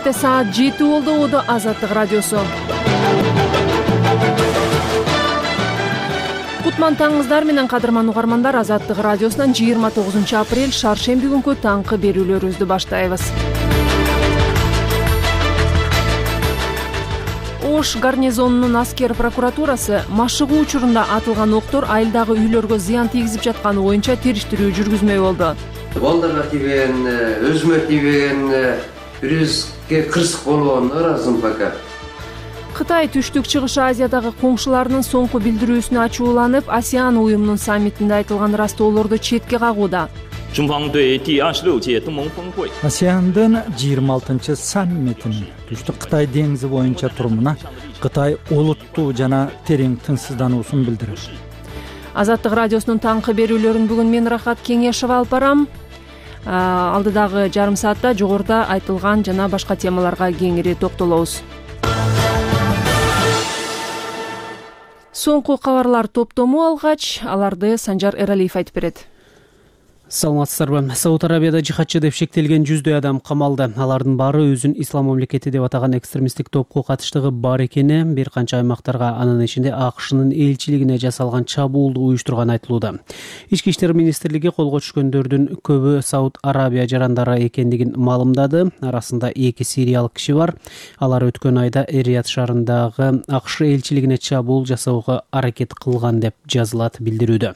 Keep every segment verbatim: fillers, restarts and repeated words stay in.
Кенттте саат жети болду. Уду Азаттык радиосу. Кутман таңыңыздар менен кадырман угармандар. Азаттык радиосунан жыйырма тогузунчу апрель шаршемби күнкү таңкы берүүлөрүбүздү баштайбыз. Ош гарнизонунун аскер прокуратурасы машыгуу учурунда атылган октор айылдагы үйлөргө зыян тийгизип жатканы боюнча териштирүү жүргүзмөй болду. Балдарга тийген, өзүмө тийген, бирибизге кырсык болгон ыраазымын пока. Кытай Түштүк Чыгыш Азиядагы коңшуларынын соңку билдирүүсүнө ачууланып, АСЕАН уюмунун саммитинде айтылган ырастоолорду четке кагууда. АСЕАНдын жыйырма алтынчы саммитинин Түштүк Кытай деңизи боюнча турумуна Кытай олуттуу жана терең тынчсыздануусун билдирет. Азаттык радиосунун таңкы берүүлөрүн бүгүн мен Рахат Кеңешова алып барам. Алдыдагы жарым саатта жогоруда айтылган жана башка темаларга кеңири токтолобуз. Соңку кабарлар топтому алгач, аларды Санжар Эралиев айтып берет. Саламатсыздарбы? Сауд Арабияда жихадчы деп шектелген жүздөй адам камалды. Алардын баары өзүн ислам мамлекети деп атаган экстремисттик топко катыштыгы бар экени, бир канча аймактарга, анын ичинде АКШнын элчилигине жасалган чабуулду уюштурганы айтылууда. Ички иштер министрлиги колго түшкөндөрдүн көбү Сауд Арабия жарандары экендигин маалымдады. Арасында эки сириялык киши бар. Алар өткөн айда Рият шаарындагы АКШ элчилигине чабуул жасоого аракет кылган деп жазылат билдирүүдө.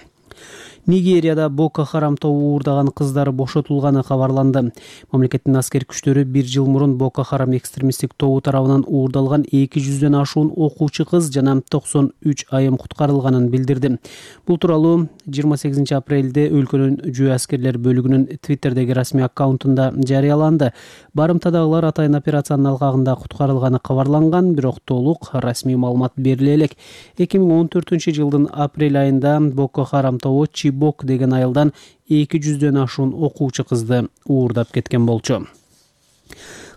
Нигерияда Боко Харам тобу уурдаган кыздар бошотулганы кабарланды. Мамлекеттин аскер күчтөрү бир жыл мурун Боко Харам экстремисттик тобу тарабынан уурдалган эки жүздөн ашуун окуучу кыз жана токсон үч айым куткарылганын билдирди. Бул тууралуу жыйырма сегизинчи апрелде өлкөнүн жөө аскерлер бөлүгүнүн Твиттердеги расмий аккаунтунда жарыяланды. Барымтадагылар атайын операциянын алкагында куткарылганы кабарланган, бирок толук расмий маалымат бериле элек. эки миң он төртүнчү жылдын апрель айында Боко Харам тобу Чибок деген айылдан эки жүздөн ашуун окуучу кызды уурдап кеткен болчу.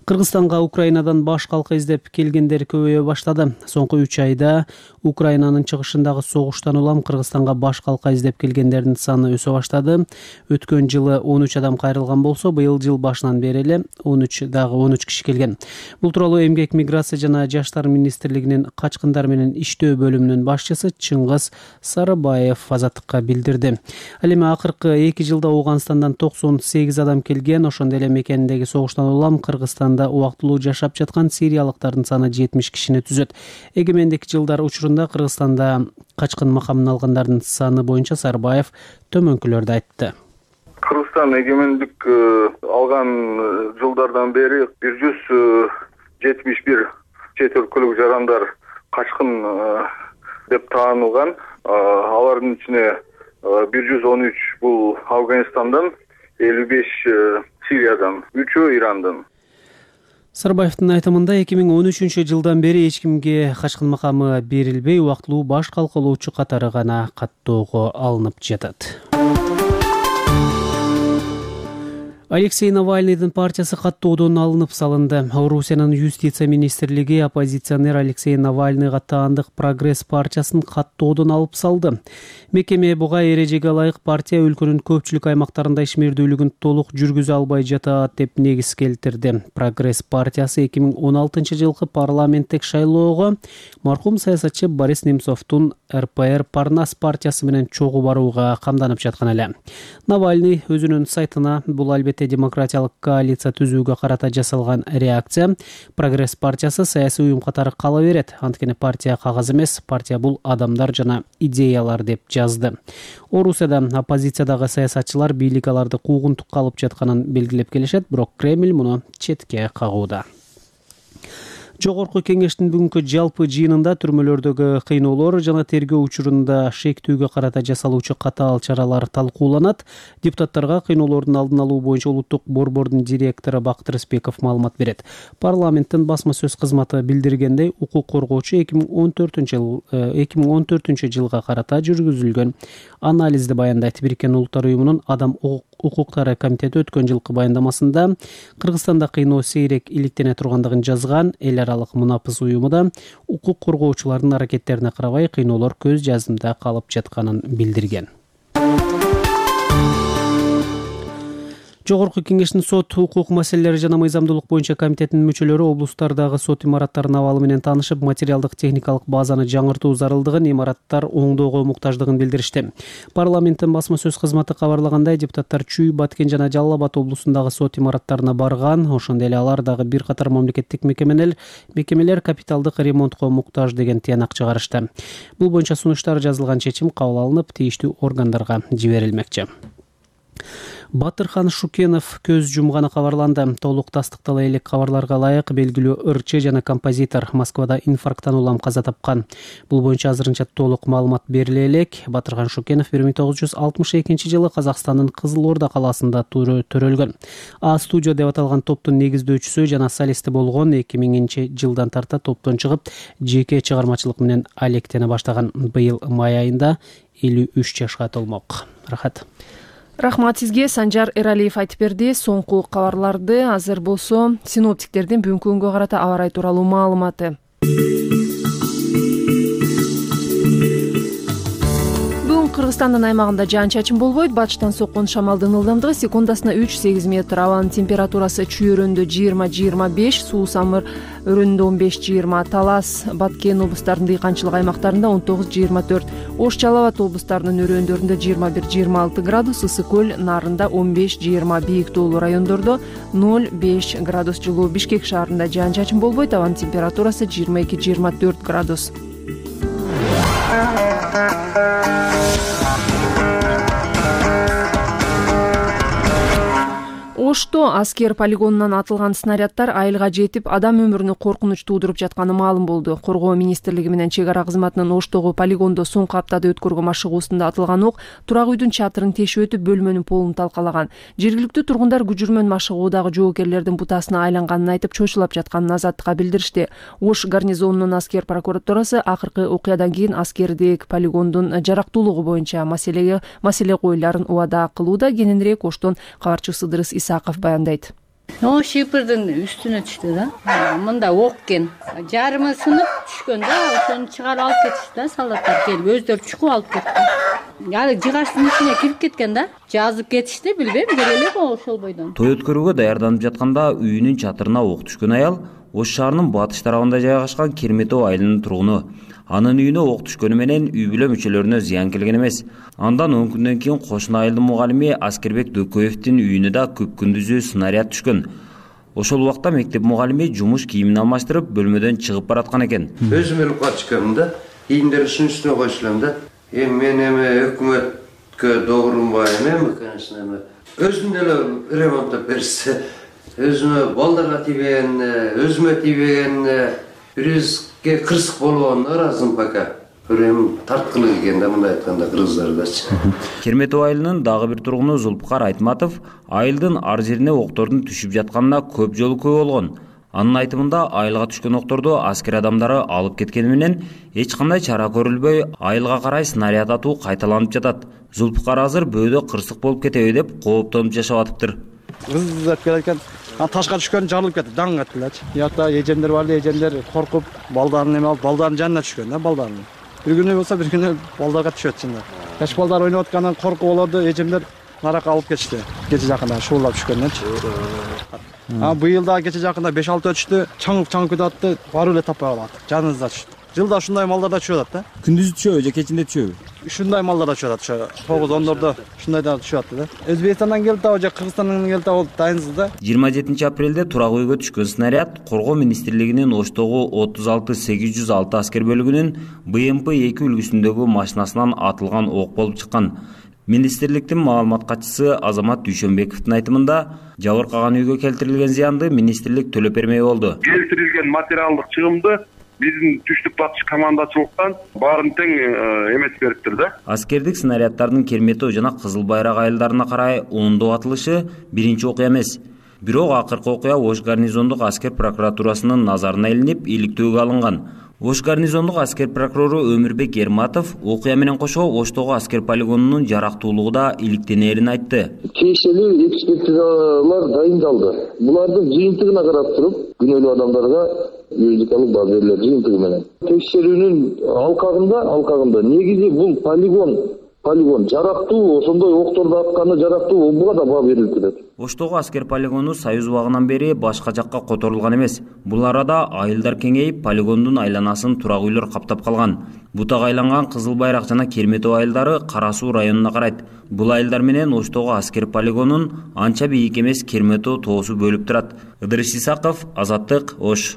Кыргызстанга Украинадан баш калка издеп келгендер көбөйө баштады. Соңку үч айда Украинанын чыгышындагы согуштан улам Кыргызстанга баш калка издеп келгендердин саны өсө баштады. Өткөн жылы он үч адам кайрылган болсо, быйыл жыл башынан бери эле он үч дагы он үч киши келген. Бул тууралуу Эмгек, миграция жана жаштар министрлигинин качкындар менен иштөө бөлүмүнүн башчысы Чыңгыз Сарыбаев Азаттыкка билдирди. Ал эми акыркы эки жылда Ауганстандан токсон сегиз адам келген, ошондой эле мекениндеги согуштан улам Кыргызстан убактылуу жашап жаткан сириялыктардын саны жетимиш кишини түзөт. Эгемендик жылдар учурунда Кыргызстанда качкын макамын алгандардын саны боюнча Сарбаев төмөнкүлөрдү айтты. Кыргызстан эгемендик алган жылдардан бери бир жүз жетимиш бир чет өлкөлүк жарандар качкын деп таанылган. Алардын ичине бир жүз он үч бул Афганистандан, элүү беш Сириядан, үчөө Ирандан. Сарбаевдин айтымында эки миң он үчүнчү жылдан бери эч кимге качкын макамы берилбей, убактылуу баш калкалоочу катары гана каттоого алынып жатат. Алексей Навальныйдын партиясы каттоодон алынып салынды. Орусиянын юстиция министрлиги оппозиционер Алексей Навальныйга таандык Прогресс партиясын каттоодон алып салды. Мекеме буга эрежеге ылайык партия өлкөнүн көпчүлүк аймактарында ишмердүүлүгүн толук жүргүзө албай жатат деп негиз келтирди. Прогресс партиясы эки миң он алтынчы жылкы парламенттик шайлоого мархум саясатчы Борис Немцовдун эр пэ эр Парнас партиясы менен чогуу барууга камданып жаткан эле. Навальный өзүнүн сайтына бул албетте демократиялык коалиция түзүүгө карата жасалган реакция. Прогресс партиясы саясий уюм катары кала берет. Анткени партия кагаз эмес, партия бул адамдар жана идеялар деп жазды. Орусияда оппозициядагы саясатчылар бийлик аларды куугунтукка алып жатканын белгилеп келишет, бирок Кремль муну четке кагууда. Жогорку кеңештин бүгүнкү жалпы жыйынында түрмөлөрдөгү кыйноолор жана тергөө учурунда шектүүгө карата жасалуучу катаал чаралар талкууланат. Депутаттарга кыйноолордун алдын алуу боюнча улуттук борбордун директору Бактыр Ыспеков маалымат берет. Парламенттин басма сөз кызматы билдиргендей, укук коргоочу эки миң он төртүнчү жылга карата жүргүзүлгөн анализди баяндайт. Бириккен Улуттар уюмунун адам укуктары комитети өткөн жылкы баяндамасында Кыргызстанда кыйноо сейрек иликтене тургандыгын жазган. Эл аралык мунапыс уюму да укук коргоочулардын аракеттерине карабай кыйноолор көз жазымда калып жатканын билдирген. Жогорку Кеңештин сот, укук маселелери жана мыйзамдуулук боюнча комитетинин мүчөлөрү облустардагы сот имараттарынын абалы менен таанышып, материалдык техникалык базаны жаңыртуу зарылдыгын, имараттар оңдоого муктаждыгын билдиришти. Парламенттин басма сөз кызматы кабарлагандай, депутаттар Чүй, Баткен жана Жалал Абад облусундагы сот имараттарына барган. Ошондой эле алар дагы бир катар мамлекеттик мекемелер мекемелер капиталдык ремонтко муктаж деген тыянак чыгарышты. Бул боюнча сунуштар жазылган чечим кабыл алынып, тийиштүү органдарга жиберилмекчи. Батырхан Шукенов көз жумганы кабарланды. Толук тастыктала элек кабарларга ылайык белгилүү ырчы жана композитор Москвада инфаркттан улам каза тапкан. Бул боюнча азырынча толук маалымат бериле элек. Батырхан Шукенов бир миң тогуз жүз алтымыш экинчи жылы Казакстандын Кызыл Орда калаасында төрөлгөн. А студия деп аталган топтун негиздөөчүсү жана солисти болгон. эки миңинчи жылдан тарта топтон чыгып, жеке чыгармачылык менен алектене баштаган. Быйыл май айында элүү үч жашка толмок. Рахат. Рахмат сизге. Санжар Эралиев айтып берди. Соңку кабарларды азыр болсо синоптиктердин бүгүнкү күнгө карата аба ырайы тууралуу маалыматы. Кыргызстандын аймагында жаан-чачын болбойт. Батыштан соккон шамалдын ылдамдыгы секундасына үч сегиз метр. Абанын температурасы Чүй өрөөндө жыйырма жыйырма беш, Суу Самыр өрөөндө он беш жыйырма, Талас, Баткен облустарынын дыйканчылык аймактарында он тогуз жыйырма төрт, Ош Жалал Абад облустарынын өрөөндөрүндө жыйырма бир жыйырма алты градус, Ысык көл Нарында он беш жыйырма, бийик тоолуу райондордо ноль беш градус жылуу. Бишкек шаарында жаан-чачын болбойт. Абанын температурасы жыйырма эки жыйырма төрт градус. Ошто аскер полигонунан атылган снаряддар айылга жетип, адам өмүрүнө коркунуч туудуруп жатканы маалым болду. Коргоо министрлиги менен чек ара кызматынын Оштогу полигондо соңку аптада өткөргөн машыгуусунда атылган ок турак үйдүн чатырын тешип өтүп, бөлмөнүн полун талкалаган. Жергиликтүү тургундар күжүрмөн машыгуудагы жоокерлердин бутасына айланганын айтып, чочулап жатканын Азаттыкка билдиришти. Ош гарнизонунун аскер прокуратурасы акыркы окуядан кийин аскердик полигондун жарактуулугу боюнча маселеге маселе коюларын убада кылууда. Кененирээк Оштон кабарчыбыз Ыдырыс Исаков баяндайт. О, шипирдин үстүнө түштү да. Мында ок экен. Жарымы сынып түшкөн да, ошону чыгарып алып кетишти да, солдаттар келип өздөрү чукуп алып кетти. Яны жыгачтын ичине кирип кеткен да. Жазып кетишти, билбейм, келеле ошол бойдон. Той өткөрүүгө даярданып жатканда үйүнүн чатырына ок түшкөн аял Ош шаарынын батыш тарабында жайгашкан Керметов айылынын тургуну. Анын үйүнө ок түшкөнү менен үй бүлө мүчөлөрүнө зыян келген эмес. Андан он күндөн кийин кошуна айылдын мугалими Аскербек Дөкөевдин үйүнө да көп күндүзү снаряд түшкөн. Ошол убакта мектеп мугалими жумуш кийимин алмаштырып, бөлмөдөн чыгып бараткан экен. Өзүм эле кат чыккам да, кийимдерди ушунун үстүнө койчулам да. Эми мен эме өкмөткө добурунбайм эми, конечно, эми өзүм деле ремонттоп берсе, өзүмө балдарга тийбеген, өзүмө тийбеген, бирибизге кырсык болгон ыраазымын пока. Көрөм тарткылык экен да, мындай айтканда кыргыздардачы. Керметов айылынын дагы бир тургуну Зулпукар Айтматов айылдын ар жерине октордун түшүп жатканына көп жолу күбө болгон. Анын айтымында айылга түшкөн окторду аскер адамдары алып кеткени менен эч кандай чара көрүлбөй, айылга карай снаряд атуу кайталанып жатат. Зулпукар азыр бөөдө кырсык болуп кетеби деп кооптонуп жашап атыптыр. Кыздап келекен, ташка түшкөн жарылып кетти, даң кеттилечи. Ята эжемдер бар, эжемдер коркуп, балдарын эме алып, балдарын жанына түшкөн да, балдарын. Бир күнү болсо, бир күнү балдарга түшөт чында. Жаш балдар ойноп аткандан коркуп болду, эжемдер наракка алып кетишти. Кече жакында шуулап түшкөндөнчү. А быйыл да кече жакында беш алты өтүштү, чаңып-чаңып кетип атты, барып эле таппай калат. Жаныбызда түштү. Жылда ушундай малдарда түшүп атат да. Күндүзү түшөбү же кечинде түшөбү? Ушундай малдарда түшүп атат, тогуз ондордо ушундайда түшүп атты да. Өзбекстандан келип да, же Кыргызстандан келип да, ол дайынсыз да. жыйырма жетинчи апрелде турак үйгө түшкөн снаряд Коргоо министрлигинин Оштогу отуз алты сегиз жүз алты аскер бөлүгүнүн Б М П эки үлгүсүндөгү машинасынан атылган ок болуп чыккан. Министрликтин маалымат катчысы Азамат Дүйшөнбековдун айтымында, жабыркаган үйгө келтирилген зыянды министрлик төлөп бермей болду. Келтирилген материалдык чыгымды биздин түштүк батыш командачылыктан баарын тең эметип бериптир да. Аскердик снаряддардын Керметов жана Кызыл Байрак айылдарына карай ондоп атылышы биринчи окуя эмес. Бирок акыркы окуя Ош гарнизондук аскер прокуратурасынын назарына илинип, иликтөөгө алынган. Ош гарнизондук аскер прокурору Өмүрбек Ерматов окуя менен кошо Оштогу аскер полигонунун жарактуулугу да иликтенерин айтты. Тиешелүү экспертизалар дайындалды. Булардын жыйынтыгына карап туруп, күнөөлүү адамдарга юридикалык баа берилет жыйынтыгы менен. Текшерүүнүн алкагында, алкагында негизи бул полигон полигон жарактуу, ошондой окторду атканы жарактуу, буга да баа берилип келет. Оштогу аскер полигону Союз убагынан бери башка жакка которулган эмес. Бул арада айылдар кеңейип, полигондун айланасын турак үйлөр каптап калган. Бутак айланган Кызыл Байрак жана Керметөө айылдары Кара Суу районуна карайт. Бул айылдар менен Оштогу аскер полигонун анча бийик эмес Керметөө тоосу бөлүп турат. Ыдырыс Исаков, Азаттык, Ош.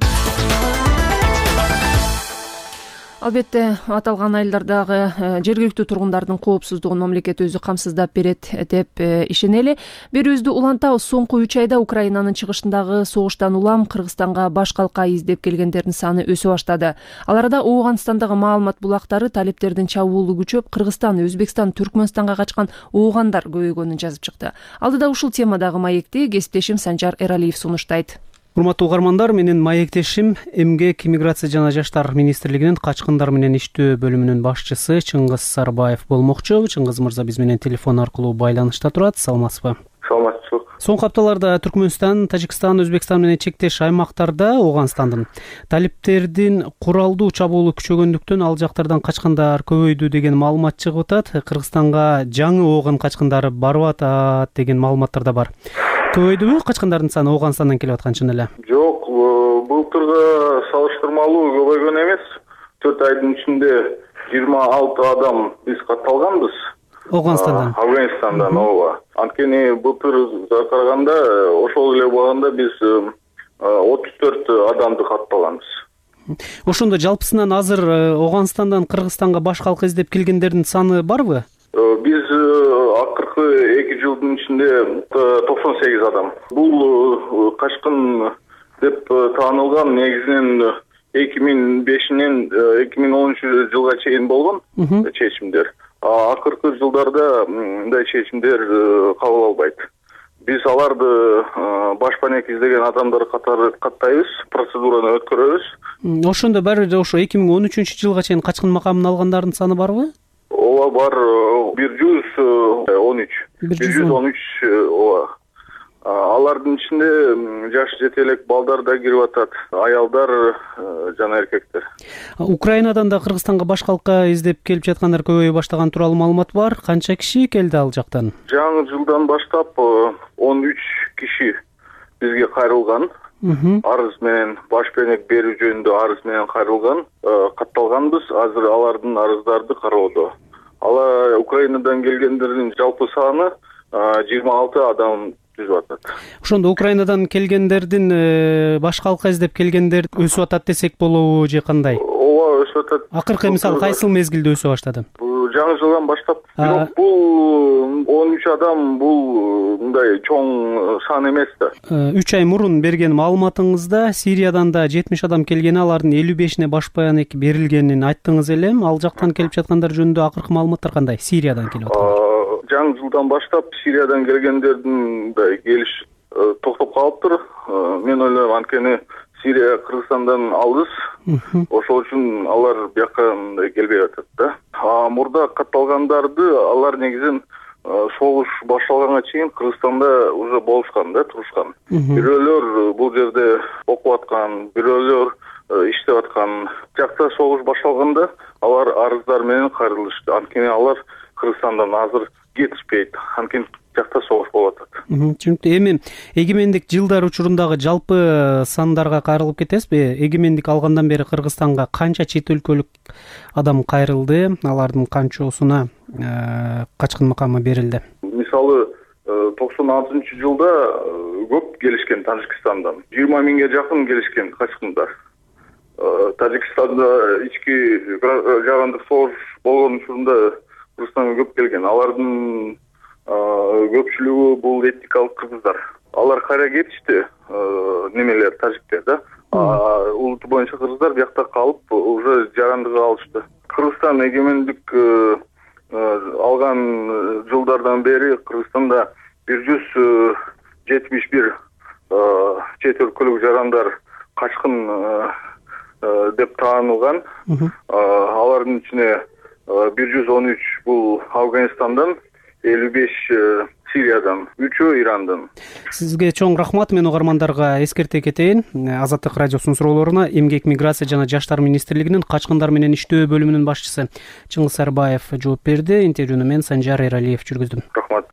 Албетте, аталган айылдардагы жергиликтүү тургундардын коопсуздугун мамлекет өзү камсыздап берет деп ишенели. Берүүбүздү улантабыз. Соңку үч айда Украинанын чыгышындагы согуштан улам Кыргызстанга баш калка издеп келгендердин саны өсө баштады. Ал арада Ооганстандагы маалымат булактары талептердин чабуулу күчөп, Кыргызстан, Өзбекстан, Түркмөнстанга качкан оогандар көбөйгөнүн жазып чыкты. Алдыда ушул темадагы маекти кесиптешим Санжар Эралиев сунуштайт. Урматтуу угармандар, менин маектешим Эмгек, иммиграция жана жаштар министрлигинин качкындар менен иштөө бөлүмүнүн башчысы Чыңгыз Сарбаев болмокчу. Чыңгыз мырза биз менен телефон аркылуу байланышта турат. Саламатсызбы? Саламатчылык. Соңку апталарда Түркмөнстан, Тажикстан, Өзбекстан менен чектеш аймактарда Ооганстандын талептердин куралдуу чабуулу күчөгөндүктөн ал жактардан качкандар көбөйдү деген маалымат чыгып атат. Кыргызстанга жаңы ооган качкындары барып атат деген маалыматтар да бар. Көбөйдүбү качкандардын саны Ооганстандан келип аткан чын эле? Жок, былтырга салыштырмалуу көбөйгөн эмес. төрт айдын ичинде жыйырма алты адам биз катталганбыз. Ооганстандан. Афганистандан, ооба. Анткени былтырга караганда ошол эле убагында биз отуз төрт адамды катталганбыз. Ошондо жалпысынан азыр Ооганстандан Кыргызстанга баш калка издеп келгендердин саны барбы? Биз акыркы эки жылдын ичинде токсон сегиз адам. Бул качкын деп таанылган негизинен эки миң бешинен эки миң онунчу жылга чейин болгон чечимдер. Акыркы жылдарда мындай чечимдер кабыл албайт. Биз аларды башпанек издеген адамдар катары каттайбыз, процедураны өткөрөбүз. Ошондо баары ошо эки миң он үчүнчү жылга чейин качкын макамын алгандардын саны барбы? Ооба, бар, бир жүз он үч. бир жүз он үч, ооба. Алардын ичинде жаш жетелек балдар да кирип атат, аялдар жана эркектер. Украинадан да Кыргызстанга баш калка издеп келип жаткандар көбөйө баштаган тууралуу маалымат бар. Канча киши келди ал жактан? Жаңы жылдан баштап он үч киши бизге кайрылган. Арыз менен башпенек берүү жөнүндө арыз менен кайрылган, катталганбыз. Азыр алардын арыздарды кароодо. Ала Украинадан келгендердин жалпы саны жыйырма алты адам түзүп атат. Ошондо Украинадан келгендердин баш калка издеп келгендер өсүп атат десек болобу же кандай? Ооба, өсүп атат. Акыркы мисалы кайсыл мезгилде өсө баштады? Жаңы жылдан баштап. Бирок бул он үч адам бул мындай чоң сан эмес да. үч ай мурун берген маалыматыңызда Сириядан да жетимиш адам келгени, алардын элүү бешине башпанек берилгенин айттыңыз эле. Ал жактан келип жаткандар жөнүндө акыркы маалыматтар кандай? Сириядан келип аткан. Жаңы жылдан баштап Сириядан келгендердин келиш токтоп калыптыр. Мен ойлойм, анткени Сирия Кыргызстандан алыс. Ошол үчүн алар бияка келбей атат да. Мурда катталгандарды алар негизин согуш башталганга чейин Кыргызстанда уже болушкан да, турушкан. Бирөөлөр бул жерде окуп аткан, бирөөлөр иштеп аткан. Жакта согуш башталганда алар арыздар менен кайрылышты. Анткени алар Кыргызстандан азыр кетишпейт. Анткени жакта согуш болуп атат. Түшүнүктүү. Эми эгемендик жылдар учурундагы жалпы сандарга кайрылып кетесизби? Эгемендик алгандан бери Кыргызстанга канча чет өлкөлүк адам кайрылды? Алардын канчосуна качкын макамы берилди? Мисалы, токсон алтынчы жылда көп келишкен Тажикстандан. жыйырма миңге жакын келишкен качкындар. Тажикстанда ички жагандык согуш болгон учурунда Кыргызстанга көп келген. Алардын көпчүлүгү бул этникалык кыргыздар. Алар кайра кетишти, немелер, тажиктер да. Улуту боюнча кыргыздар биякта калып, уже жарандыгы алышты. Кыргызстан эгемендик алган жылдардан бери Кыргызстанда бир жүз жетимиш бир чет өлкөлүк жарандар качкын деп таанылган. Алардын ичине бир жүз он үч бул Афганистандан, элүү беш Сириядан, үчөө Ирандан. Сизге чоң рахмат. Мен угармандарга эскерте кетейин. Азаттык радиосунун суроолоруна Эмгек, миграция жана жаштар министрлигинин качкындар менен иштөө бөлүмүнүн башчысы Чыңгыз Сарбаев жооп берди. Интервьюну мен Санжар Эралиев жүргүздүм. Рахмат.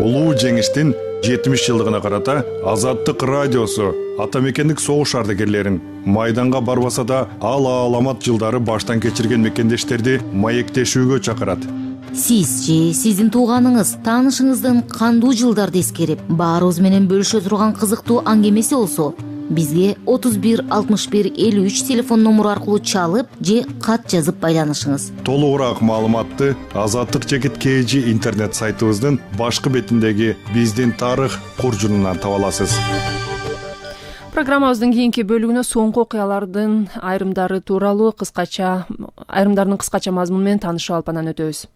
Улуу жеңиштин жетимиш жылдыгына карата Азаттык радиосу ата мекендик согуш ардагерлерин майданга барбаса да ал аламат жылдары баштан кечирген мекендештерди маектешүүгө чакырат. Сиз же сиздин тууганыңыз, таанышыңыздын кандуу жылдарды эскерип, баарыбыз менен бөлүшө турган кызыктуу аңгемеси болсо, бизге отуз бир алтымыш бир элүү үч телефон номуру аркылуу чалып же кат жазып байланышыңыз. Толугураак маалыматты Азаттык жекит kg интернет сайтыбыздын башкы бетиндеги биздин тарых куржунунан таба аласыз. Программабыздын кийинки бөлүгүнө соңку окуялардын айрымдары тууралуу кыскача айрымдарынын кыскача мазмуну менен таанышып алып анан өтөбүз.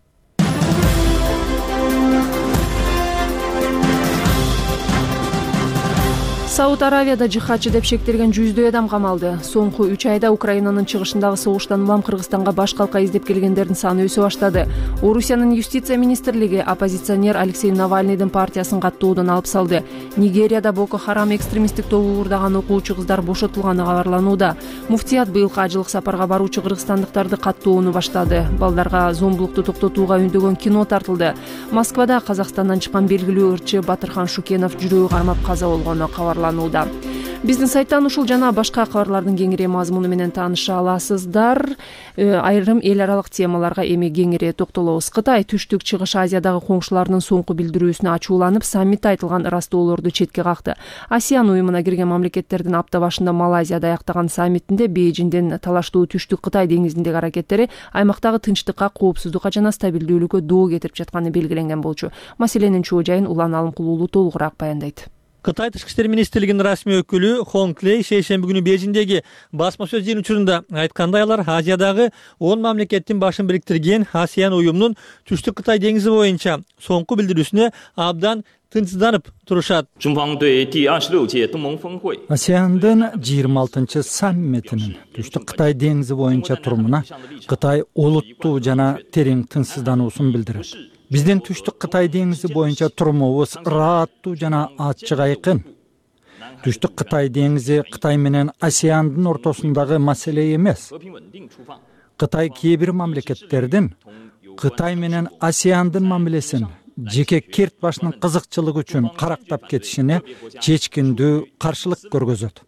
Сауд Аравияда жихадчы деп шектелген жүздөй адам камалды. Соңку үч айда Украинанын чыгышындагы согуштан улам Кыргызстанга баш калка издеп келгендердин саны өсө баштады. Орусиянын юстиция министрлиги оппозиционер Алексей Навальныйдын партиясын каттоодон алып салды. Нигерияда Боко Харам экстремисттик тобу уурдаган окуучу кыздар бошотулганы кабарланууда. Муфтият быйылкы ажылык сапарга баруучу кыргызстандыктарды каттоону баштады. Балдарга зомбулукту токтотууга үндөгөн кино тартылды. Москвада Казакстандан чыккан белгилүү ырчы Батырхан Шукенов жүрөгү кармап каза болгону кабарланды. Биздин сайттан ушул жана башка кабарлардын кеңири мазмуну менен тааныша аласыздар. Айрым эл аралык темаларга эми кеңири токтолобуз. Кытай Түштүк Чыгыш Азиядагы коңшуларынын соңку билдирүүсүнө ачууланып, саммитте айтылган ыраздоолорду четке какты. Асиан уюмуна кирген мамлекеттердин апта башында Малайзияда аяктаган саммитинде Бейжиңдин талаштуу Түштүк Кытай деңизиндеги аракеттери аймактагы тынчтыкка, коопсуздукка жана стабилдүүлүккө доо кетирип жатканы белгиленген болчу. Маселенин чоо жайын Улан Алымкулуулу толугураак баяндайт. Кытай тышкы иштер министрлигинин расмий өкүлү Хонг Лей шейшемби күнү Бейжиңдеги басма сөз жыйын учурунда айткандай, алар Азиядагы он мамлекеттин башын бириктирген Асиан уюмунун Түштүк Кытай деңизи боюнча соңку билдирүүсүнө абдан тынчсызданып турушат. Асиандын жыйырма алтынчы саммитинин Түштүк Кытай деңизи боюнча турумуна Кытай олуттуу жана терең тынчсыздануусун билдирет. Биздин Түштүк Кытай деңизи боюнча турумубуз ырааттуу жана ачык айкын. Түштүк Кытай деңизи Кытай менен Асиандын ортосундагы маселе эмес. Кытай кээ бир мамлекеттердин Кытай менен Асиандын мамилесин жеке керт башынын кызыкчылыгы үчүн карактап кетишине чечкиндүү каршылык көргөзөт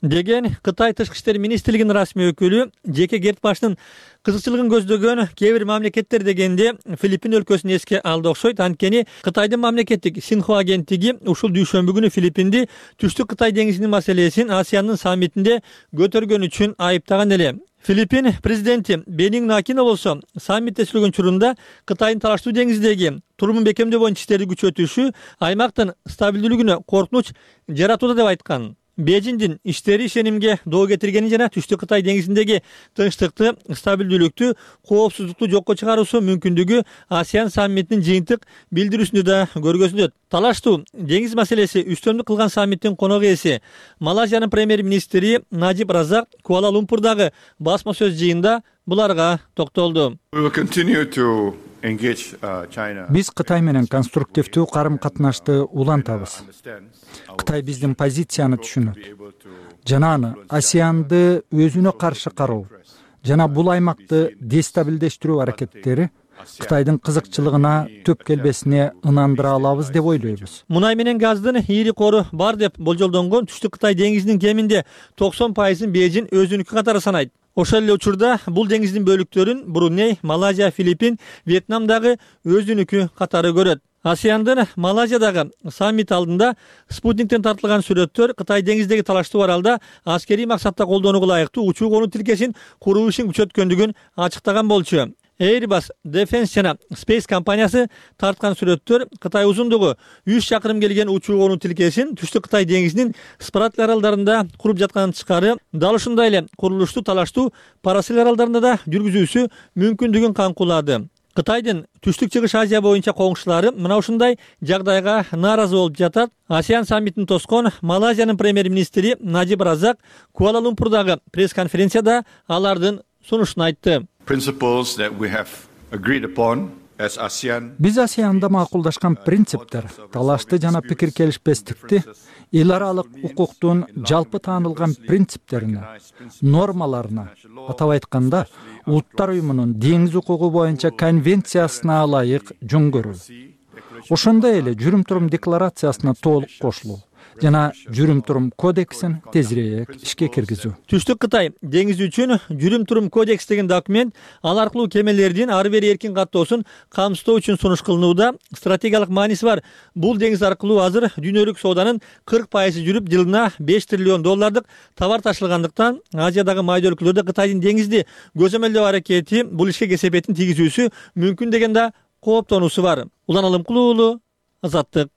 деген Кытай тышкы иштер министрлигинин расмий өкүлү. Жеке керт башынын кызыкчылыгын көздөгөн кээ бир мамлекеттер дегенде Филиппин өлкөсүн эске алды окшойт. Анткени Кытайдын мамлекеттик Синхуа агенттиги ушул дүйшөмбү күнү Филиппинди Түштүк Кытай деңизинин маселесин Асиандын саммитинде көтөргөн үчүн айыптаган эле. Филиппин президенти Бенигн Акино болсо саммитте сүйлөгөн учурунда Кытайдын талаштуу деңиздеги турумун бекемдөө боюнча иштерди күчөтүшү аймактын стабилдүүлүгүнө коркунуч жаратууда деп айткан. Бейжиңдин иштери ишенимге доо кетиргени жана Түштүк Кытай деңизиндеги тынчтыкты, стабилдүүлүктү, коопсуздукту жокко чыгаруусу мүмкүндүгү Асиан саммитинин жыйынтык билдирүүсүндө да көргөзүлөт. Талаштуу деңиз маселеси үстөмдүк кылган саммиттин конок ээси Малайзиянын премьер-министри Najib Razak Куала-Лумпурдагы басма сөз жыйында буларга токтолду. Биз Кытай менен конструктивдүү карым-катнашты улантабыз. Кытай биздин позицияны түшүнөт жана аны Асианды өзүнө каршы кароо жана бул аймакты дестабилдештирүү аракеттери Кытайдын кызыкчылыгына төп келбесине ынандыра алабыз деп ойлойбуз. Мунай менен газдын ийри кору бар деп болжолдонгон Түштүк Кытай деңизинин кеминде токсон пайызын Бейжиң өзүнүкү катары санайт. Ошол эле учурда бул деңиздин бөлүктөрүн Бруней, Малайзия, Филиппин, Вьетнам дагы өзүнүкү катары көрөт. Асиандын Малайзиядагы саммит алдында спутниктен тартылган сүрөттөр Кытай деңиздеги талаштуу аралда аскерий максатта колдонууга ылайыктуу учуу конуу тилкесин куруу ишин күчөткөндүгүн ачыктаган болчу. Airbus Defense жана Space компаниясы тарткан сүрөттөр Кытай узундугу үч чакырым келген учуу конуу тилкесин Түштүк Кытай деңизинин Спратли аралдарында куруп жатканын тышкары, дал ушундай эле курулуштуу талаштуу Парасил аралдарында да жүргүзүүсү мүмкүндүгүн камкулады. Кытайдын Түштүк Чыгыш Азия боюнча коңшулары мына ушундай жагдайга нааразы болуп жатат. Асиан саммитин тоскон Малайзиянын премьер-министри Najib Razak Куала-Лумпурдагы пресс-конференцияда алардын сунушун айтты. биз асеанда макулдашкан принциптер талашты жана пикир келишпестикти эл аралык укуктун жалпы таанылган принциптерине, нормаларына, атап айтканда Улуттар уюмунун деңиз укугу боюнча конвенциясына ылайык жөн көрүү, ошондой эле жүрүм-турум декларациясына толук кошулуу жана жүрүм-турум кодексин тезирээк ишке киргизүү. Түштүк Кытай деңизи үчүн жүрүм-турум кодекс деген документ ал аркылуу кемелердин ары бери эркин каттоосун камсыздоо үчүн сунуш кылынууда стратегиялык мааниси бар. Бул деңиз аркылуу азыр дүйнөлүк сооданын кырк пайызы жүрүп, жылына беш триллион доллардык товар ташылгандыктан Азиядагы майда өлкөлөрдө Кытайдын деңизди көзөмөлдөө аракети бул ишке кесепетин тийгизүүсү мүмкүн деген да кооптонуусу бар. Улан Алымкулуу уулу, Азаттык.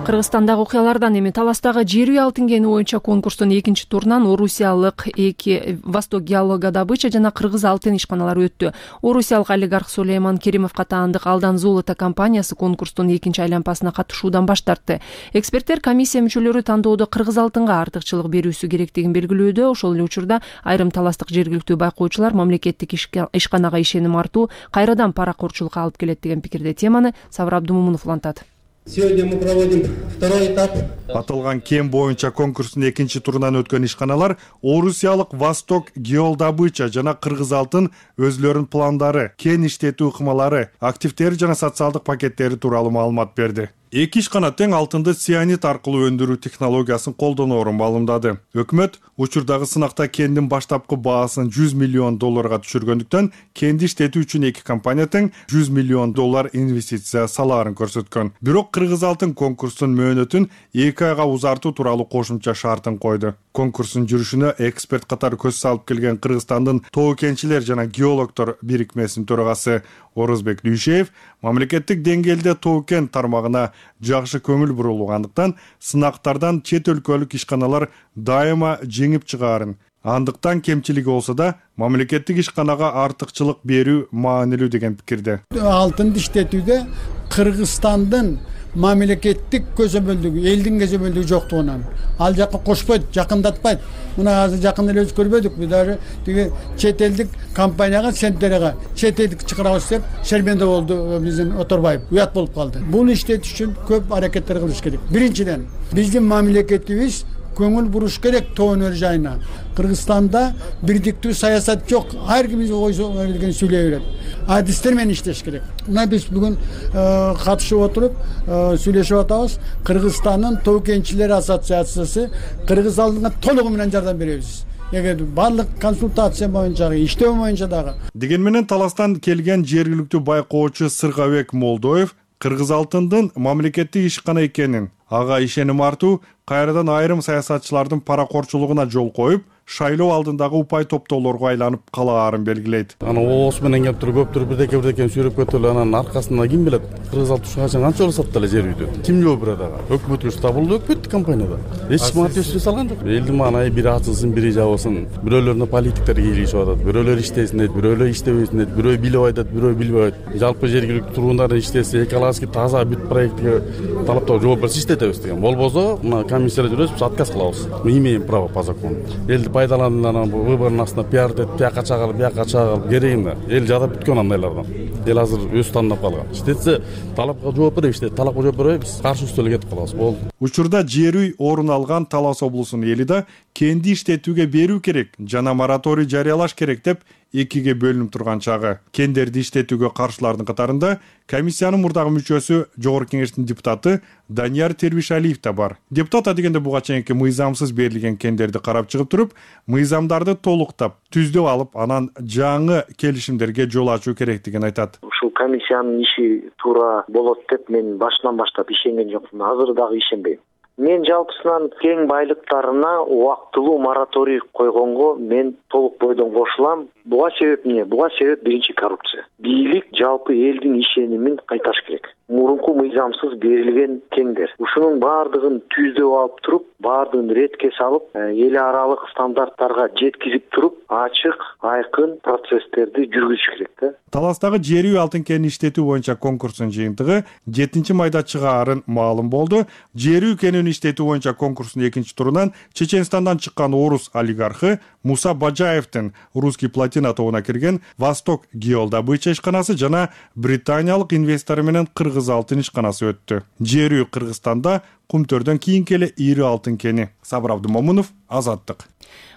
Кыргызстандагы окуялардан эми Таластагы жер үй алтын кени боюнча конкурстун экинчи турунан орусиялык эки Восток геологодобыча жана Кыргыз алтын ишканалары өттү. Орусиялык олигарх Сулейман Керимовго таандык Алдан Золото компаниясы конкурстун экинчи айланпасына катышуудан баш тартты. Эксперттер комиссия мүчөлөрү тандоодо Кыргыз алтынга артыкчылык берүүсү керектигин белгилөөдө. Ошол эле учурда айрым таластык жергиликтүү байкоочулар мамлекеттик ишканага ишеним артуу кайрадан паракорчулукка алып келет деген пикирде. Теманы Сабыр Абдумумунов улантат. Сегодня мы проводим второй этап. Аталган кен боюнча конкурстун экинчи турунан өткөн ишканалар орусиялык Восток геологодобыча жана Кыргыз алтын өзлөрүнүн пландары, кен иштетүү ыкмалары, активдери жана социалдык пакеттери тууралуу маалымат берди. Эки ишкана тең алтынды цианид аркылуу өндүрүү технологиясын колдоноору маалымдады. Өкмөт учурдагы сынакта кендин баштапкы баасын жүз миллион долларга түшүргөндүктөн кенди иштетүү үчүн эки компания тең жүз миллион доллар инвестиция салаарын көрсөткөн. Бирок Кыргыз алтын конкурстун мөөнөтүн эки айга узартуу тууралуу кошумча шартын койду. Конкурстун жүрүшүнө эксперт катары көз салып келген Кыргызстандын тоо кенчилер жана геологдор бирикмесинин төрагасы Орозбек Дүйшеев мамлекеттик деңгээлде тоо кен тармагына жакшы көңүл бурулгандыктан сынактардан чет өлкөлүк ишканалар дайыма жеңип чыгаарын, андыктан кемчилиги болсо да мамлекеттик ишканага артыкчылык берүү маанилүү деген пикирде. Алтынды иштетүүдө Кыргызстандын мамлекеттик көзөмөлдүгү, элдин көзөмөлдүгү жоктугунан ал жакка кошпойт, жакындатпайт. Мына азыр жакында эле көрбөдүкпү, даже тиги чет элдик компанияга, центрга чет элдик чыгарабыз деп шерменде болду биздин Оторбаев. Уят болуп калды. Бул иштетиш үчүн көп аракеттер кылыш керек. Биринчиден, биздин мамлекетибиз көңүл буруш керек тоо өнөр жайына. Кыргызстанда бирдиктүү саясат жок. Ар ким өзүнүн сүйлөй берет. Адистер менен иштеш керек. Мына биз бүгүн катышып отуруп сүйлөшүп атабыз. Кыргызстандын тоо кенчилер ассоциациясы Кыргыз алтынга толугу менен жардам беребиз. Эгер барлык консультация боюнча, иштөө боюнча дагы. Деген менен Таластан келген жергиликтүү байкоочу Сыргабек Молдоев Кыргыз алтындын мамлекеттик ишкана экенин, ага ишеним артуу кайрадан айрым саясатчылардын паракорчулугуна жол коюп, шайлоо алдындагы упай топтоолорго айланып калаарын белгилейт. Ана оос менен келип туруп көптүр бирдеке бирдеке сүйрөп кетип эле анан аркасында ким билет Кыргыз алтын ушунга канча болуп сатты эле жер үйдү. Ким жооп берет ага? Өкмөткө табылды, өкмөттүк компанияда. Эч ким ат өсүрө салган жок. Элдин маанайы бири ачылсын, бири жабылсын. Бирөөлөрүнө политиктер кийлигишип атат. Бирөөлөр иштесин дейт, бирөөлөр иштебесин дейт, бирөө билип айтат, бирөө билбей айтат. Жалпы жергиликтүү тургундар иштесе, экологически таза бүт проектке талаптарга жооп берсе иштетебиз деген. Болбосо, мына комиссияда жүрөбүз, отказ кылабыз. Мы имеем право по закону. Элди пайдаланып выбордун астына пиар деп, бияка чагылып, бияка чагылып кереги эмне? Эл жадап бүткөн андайлардан. Эл азыр өз тандап калган. Иштетсе, талапка жооп беребиз, иштет, талапка жооп беребиз, каршы үстөлгө кетип калабыз. Болду. Учурда жер үй орун алган Талас облусунун эли да кенди иштетүүгө берүү керек жана мораторий жарыялаш керек деп экиге бөлүнүп турган чагы. Кендерди иштетүүгө каршылардын катарында комиссиянын мурдагы мүчөсү, жогорку кеңештин депутаты Данияр Тербишалиев да бар. Депутат адегенде буга чейинки мыйзамсыз берилген кендерди карап чыгып туруп, мыйзамдарды толуктап, түздөп алып, анан жаңы келишимдерге жол ачуу керектигин айтат. Ушул комиссиянын иши туура болот деп мен башынан баштап ишенген жокмун, азыр дагы ишенбейм. Мен жалпысынан кен байлыктарына убактылуу мораторий койгонго мен толук бойдон кошулам. Буга себеп эмне? Буга себеп биринчи коррупция. Бийлик жалпы элдин ишенимин кайтарыш керек. мурунку мыйзамсыз берилген кеңдер. Ушунун баардыгын түздөп алып туруп, баардыгын ретке салып, эл аралык стандарттарга жеткизип туруп, ачык, айкын процесстерди жүргүзүш керек да. Таластагы жер үй алтын кенин иштетүү боюнча конкурстун жыйынтыгы жетинчи майда чыгаарын маалым болду. Жер үй кенин иштетүү боюнча конкурстун экинчи турунан Чеченстандан чыккан орус олигархы Муса Бажаевдин русский плотина тобуна кирген Восток геодобыча ишканасы жана британиялык инвестору менен кыргыз алтын ишканасы өттү. Жер үй Кыргызстанда Кумтөрдөн кийинки эле ири алтын кени. Сабыр Абдымомунов, Азаттык.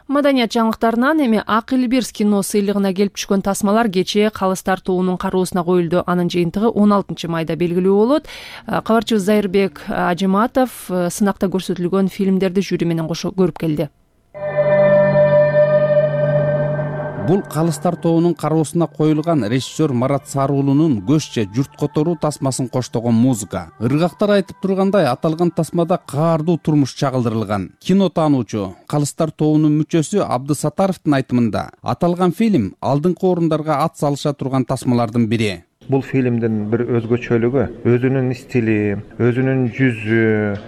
Маданият жаңылыктарынан эми Ак Элбирс кино сыйлыгына келип түшкөн тасмалар кечээ Калыс тартуунун кароосуна коюлду. Анын жыйынтыгы он алтынчы майда белгилүү болот. Кабарчыбыз Зайырбек Ажиматов сынакта көрсөтүлгөн фильмдерди жюри менен кошо көрүп келди. Бул Калыс тартуунун кароосуна коюлган режиссер Марат Саруулунун Көччө журт которуу тасмасын коштогон музыка. Ыргактар айтып тургандай, аталган тасмада каардуу турмуш чагылдырылган. Кино таануучу Калыс тартуунун мүчөсү Абдысатаровдун айтымында, аталган фильм алдыңкы орундарга ат салыша турган тасмалардын бири. Бул фильмдин бир өзгөчөлүгү өзүнүн стили, өзүнүн жүзү,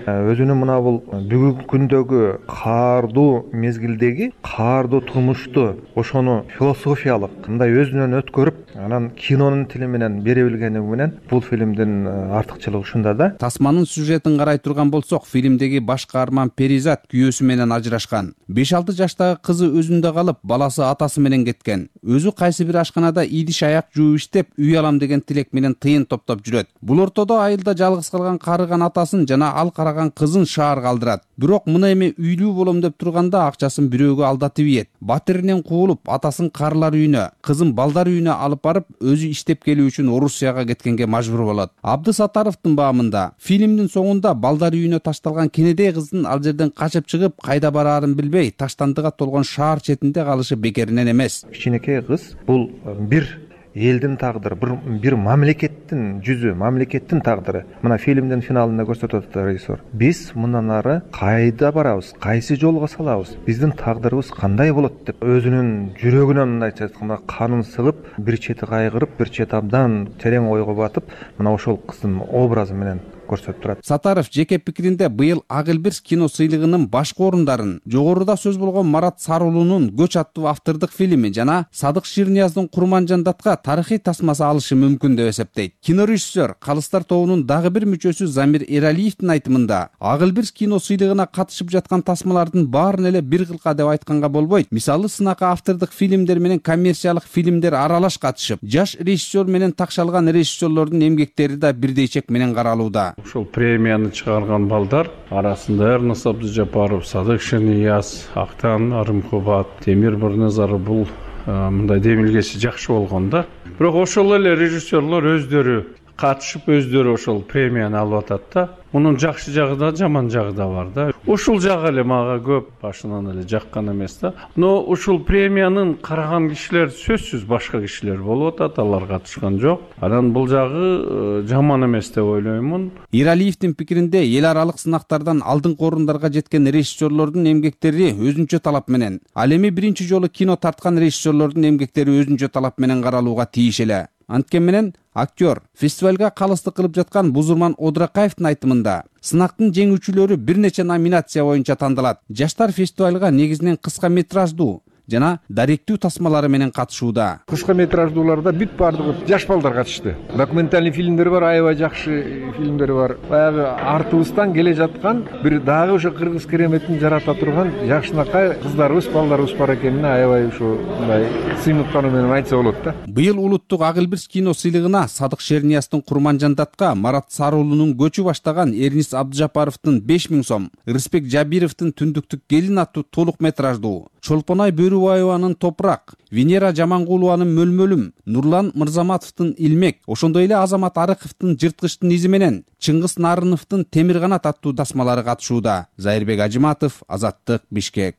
өзүнүн мына бул бүгүнкү күндөгү каардуу мезгилдеги каардуу турмушту ошону философиялык мындай өзүнөн өткөрүп, анан кинонун тили менен бере билгени менен бул фильмдин артыкчылыгы ушунда да. Тасманын сюжетин карай турган болсок, фильмдеги баш каарман Перизат күйөөсү менен ажырашкан. беш алты жаштагы кызы өзүндө калып, баласы атасы менен кеткен. Өзү кайсы бир ашканада идиш аяк жууп иштеп, үй алам деген тилек менен тыйын топтоп жүрөт. Бул ортодо айылда жалгыз калган карыган атасын жана ал караган кызын шаар калдырат. Бирок мына эми үйлүү болом деп турганда акчасын бирөөгө алдатып ийет. Батиринен куулуп, атасын карлар үйүнө, кызын балдар үйүнө алып барып, өзү иштеп келүү үчүн Орусияга кеткенге мажбур болот. Абдысатаровдун баамында фильмдин соңунда балдар үйүнө ташталган кенедей кыздын ал жерден качып чыгып, кайда бараарын билбей, таштандыга толгон шаар четинде калышы бекеринен эмес. Кичинекей кыз бул бир элдин тагдыры, бир бир мамлекеттин жүзү, мамлекеттин тагдыры. Мына фильмдин финалында көрсөтөт режиссер. Биз мындан ары кайда барабыз, кайсы жолго салабыз, биздин тагдырыбыз кандай болот деп өзүнүн жүрөгүнөн мындайча айтканда канын сыгып, бир чети кайгырып, бир чети абдан терең ойго батып, мына ошол кыздын образы менен көрсөтүп турат. Сатаров жеке пикиринде быйыл Ак Элбирс кино сыйлыгынын башкы орундарын жогоруда сөз болгон Марат Саруулунун Көч аттуу автордук фильми жана Садык Ширнияздын Курманжандатка тарыхый тасмасы алышы мүмкүн деп эсептейт. Кино режиссер Калыстар тобунун дагы бир мүчөсү Замир Эралиевдин айтымында, Ак Элбирс кино сыйлыгына катышып жаткан тасмалардын баарын эле бир кылка деп айтканга болбойт. Мисалы, сынакка автордук фильмдер менен коммерциялык фильмдер аралаш катышып, жаш режиссер менен такшалган режиссерлордун эмгектери да бирдей чек менен каралууда. Ушул премияны чыгарган балдар арасында Эрнес Абдыжапаров, Садык Ширнияз, Актан Арымкубат, Темир Бирназаров бул мындай демилгеси жакшы болгон да. Бирок ошол эле режиссерлор өздөрү катышып, өздөрү ошол премияны алып атат да. Мунун жакшы жагы да, жаман жагы да бар да. Ушул жагы эле мага көп башынан эле жаккан эмес да. Но ушул премиянын караган кишилер сөзсүз башка кишилер болуп атат, алар катышкан жок. Анан бул жагы жаман эмес деп ойлоймун. Иралиевдин пикиринде эл аралык сынактардан алдыңкы орундарга жеткен режиссерлордун эмгектери өзүнчө талап менен, ал эми биринчи жолу кино тарткан режиссерлордун эмгектери өзүнчө талап менен каралууга тийиш эле. Анткени менен актер фестивалга калыстык кылып жаткан Бузурман Одракаевдин айтымында, сынактын жеңүүчүлөрү бир нече номинация боюнча тандалат. Жаштар фестивалга негизинен кыска метраждуу жана даректүү тасмалары менен катышууда. Кыска метраждууларда бүт баардыгы жаш балдар катышты. Документальный фильмдер бар, аябай жакшы фильмдер бар. Баягы артыбыздан келе жаткан бир дагы ошо кыргыз кереметин жарата турган жакшынакай кыздарыбыз, балдарыбыз бар экенине аябай ушу мындай сыймыктануу менен айтса болот да. Быйыл улуттук Ак Элбирс кино сыйлыгына Садык Шернияздын Курманжандатка, Марат Саруулунун Көчү баштаган Эрнис Абдыжапаровдун беш миң сом, Рыспек Жабировдун Түндүктүк келин аттуу толук метраждуу, Чолпонай Бөрүбаеванын Топурак, Венера Жамангулованын Мөлмөлүм, Нурлан Мырзаматовдун Илмек, ошондой эле Азамат Арыковдун Жырткычтын изи менен Чыңгыз Нарыновдун Темир канат аттуу тасмалары катышууда. Зайырбек Ажиматов, Азаттык, Бишкек.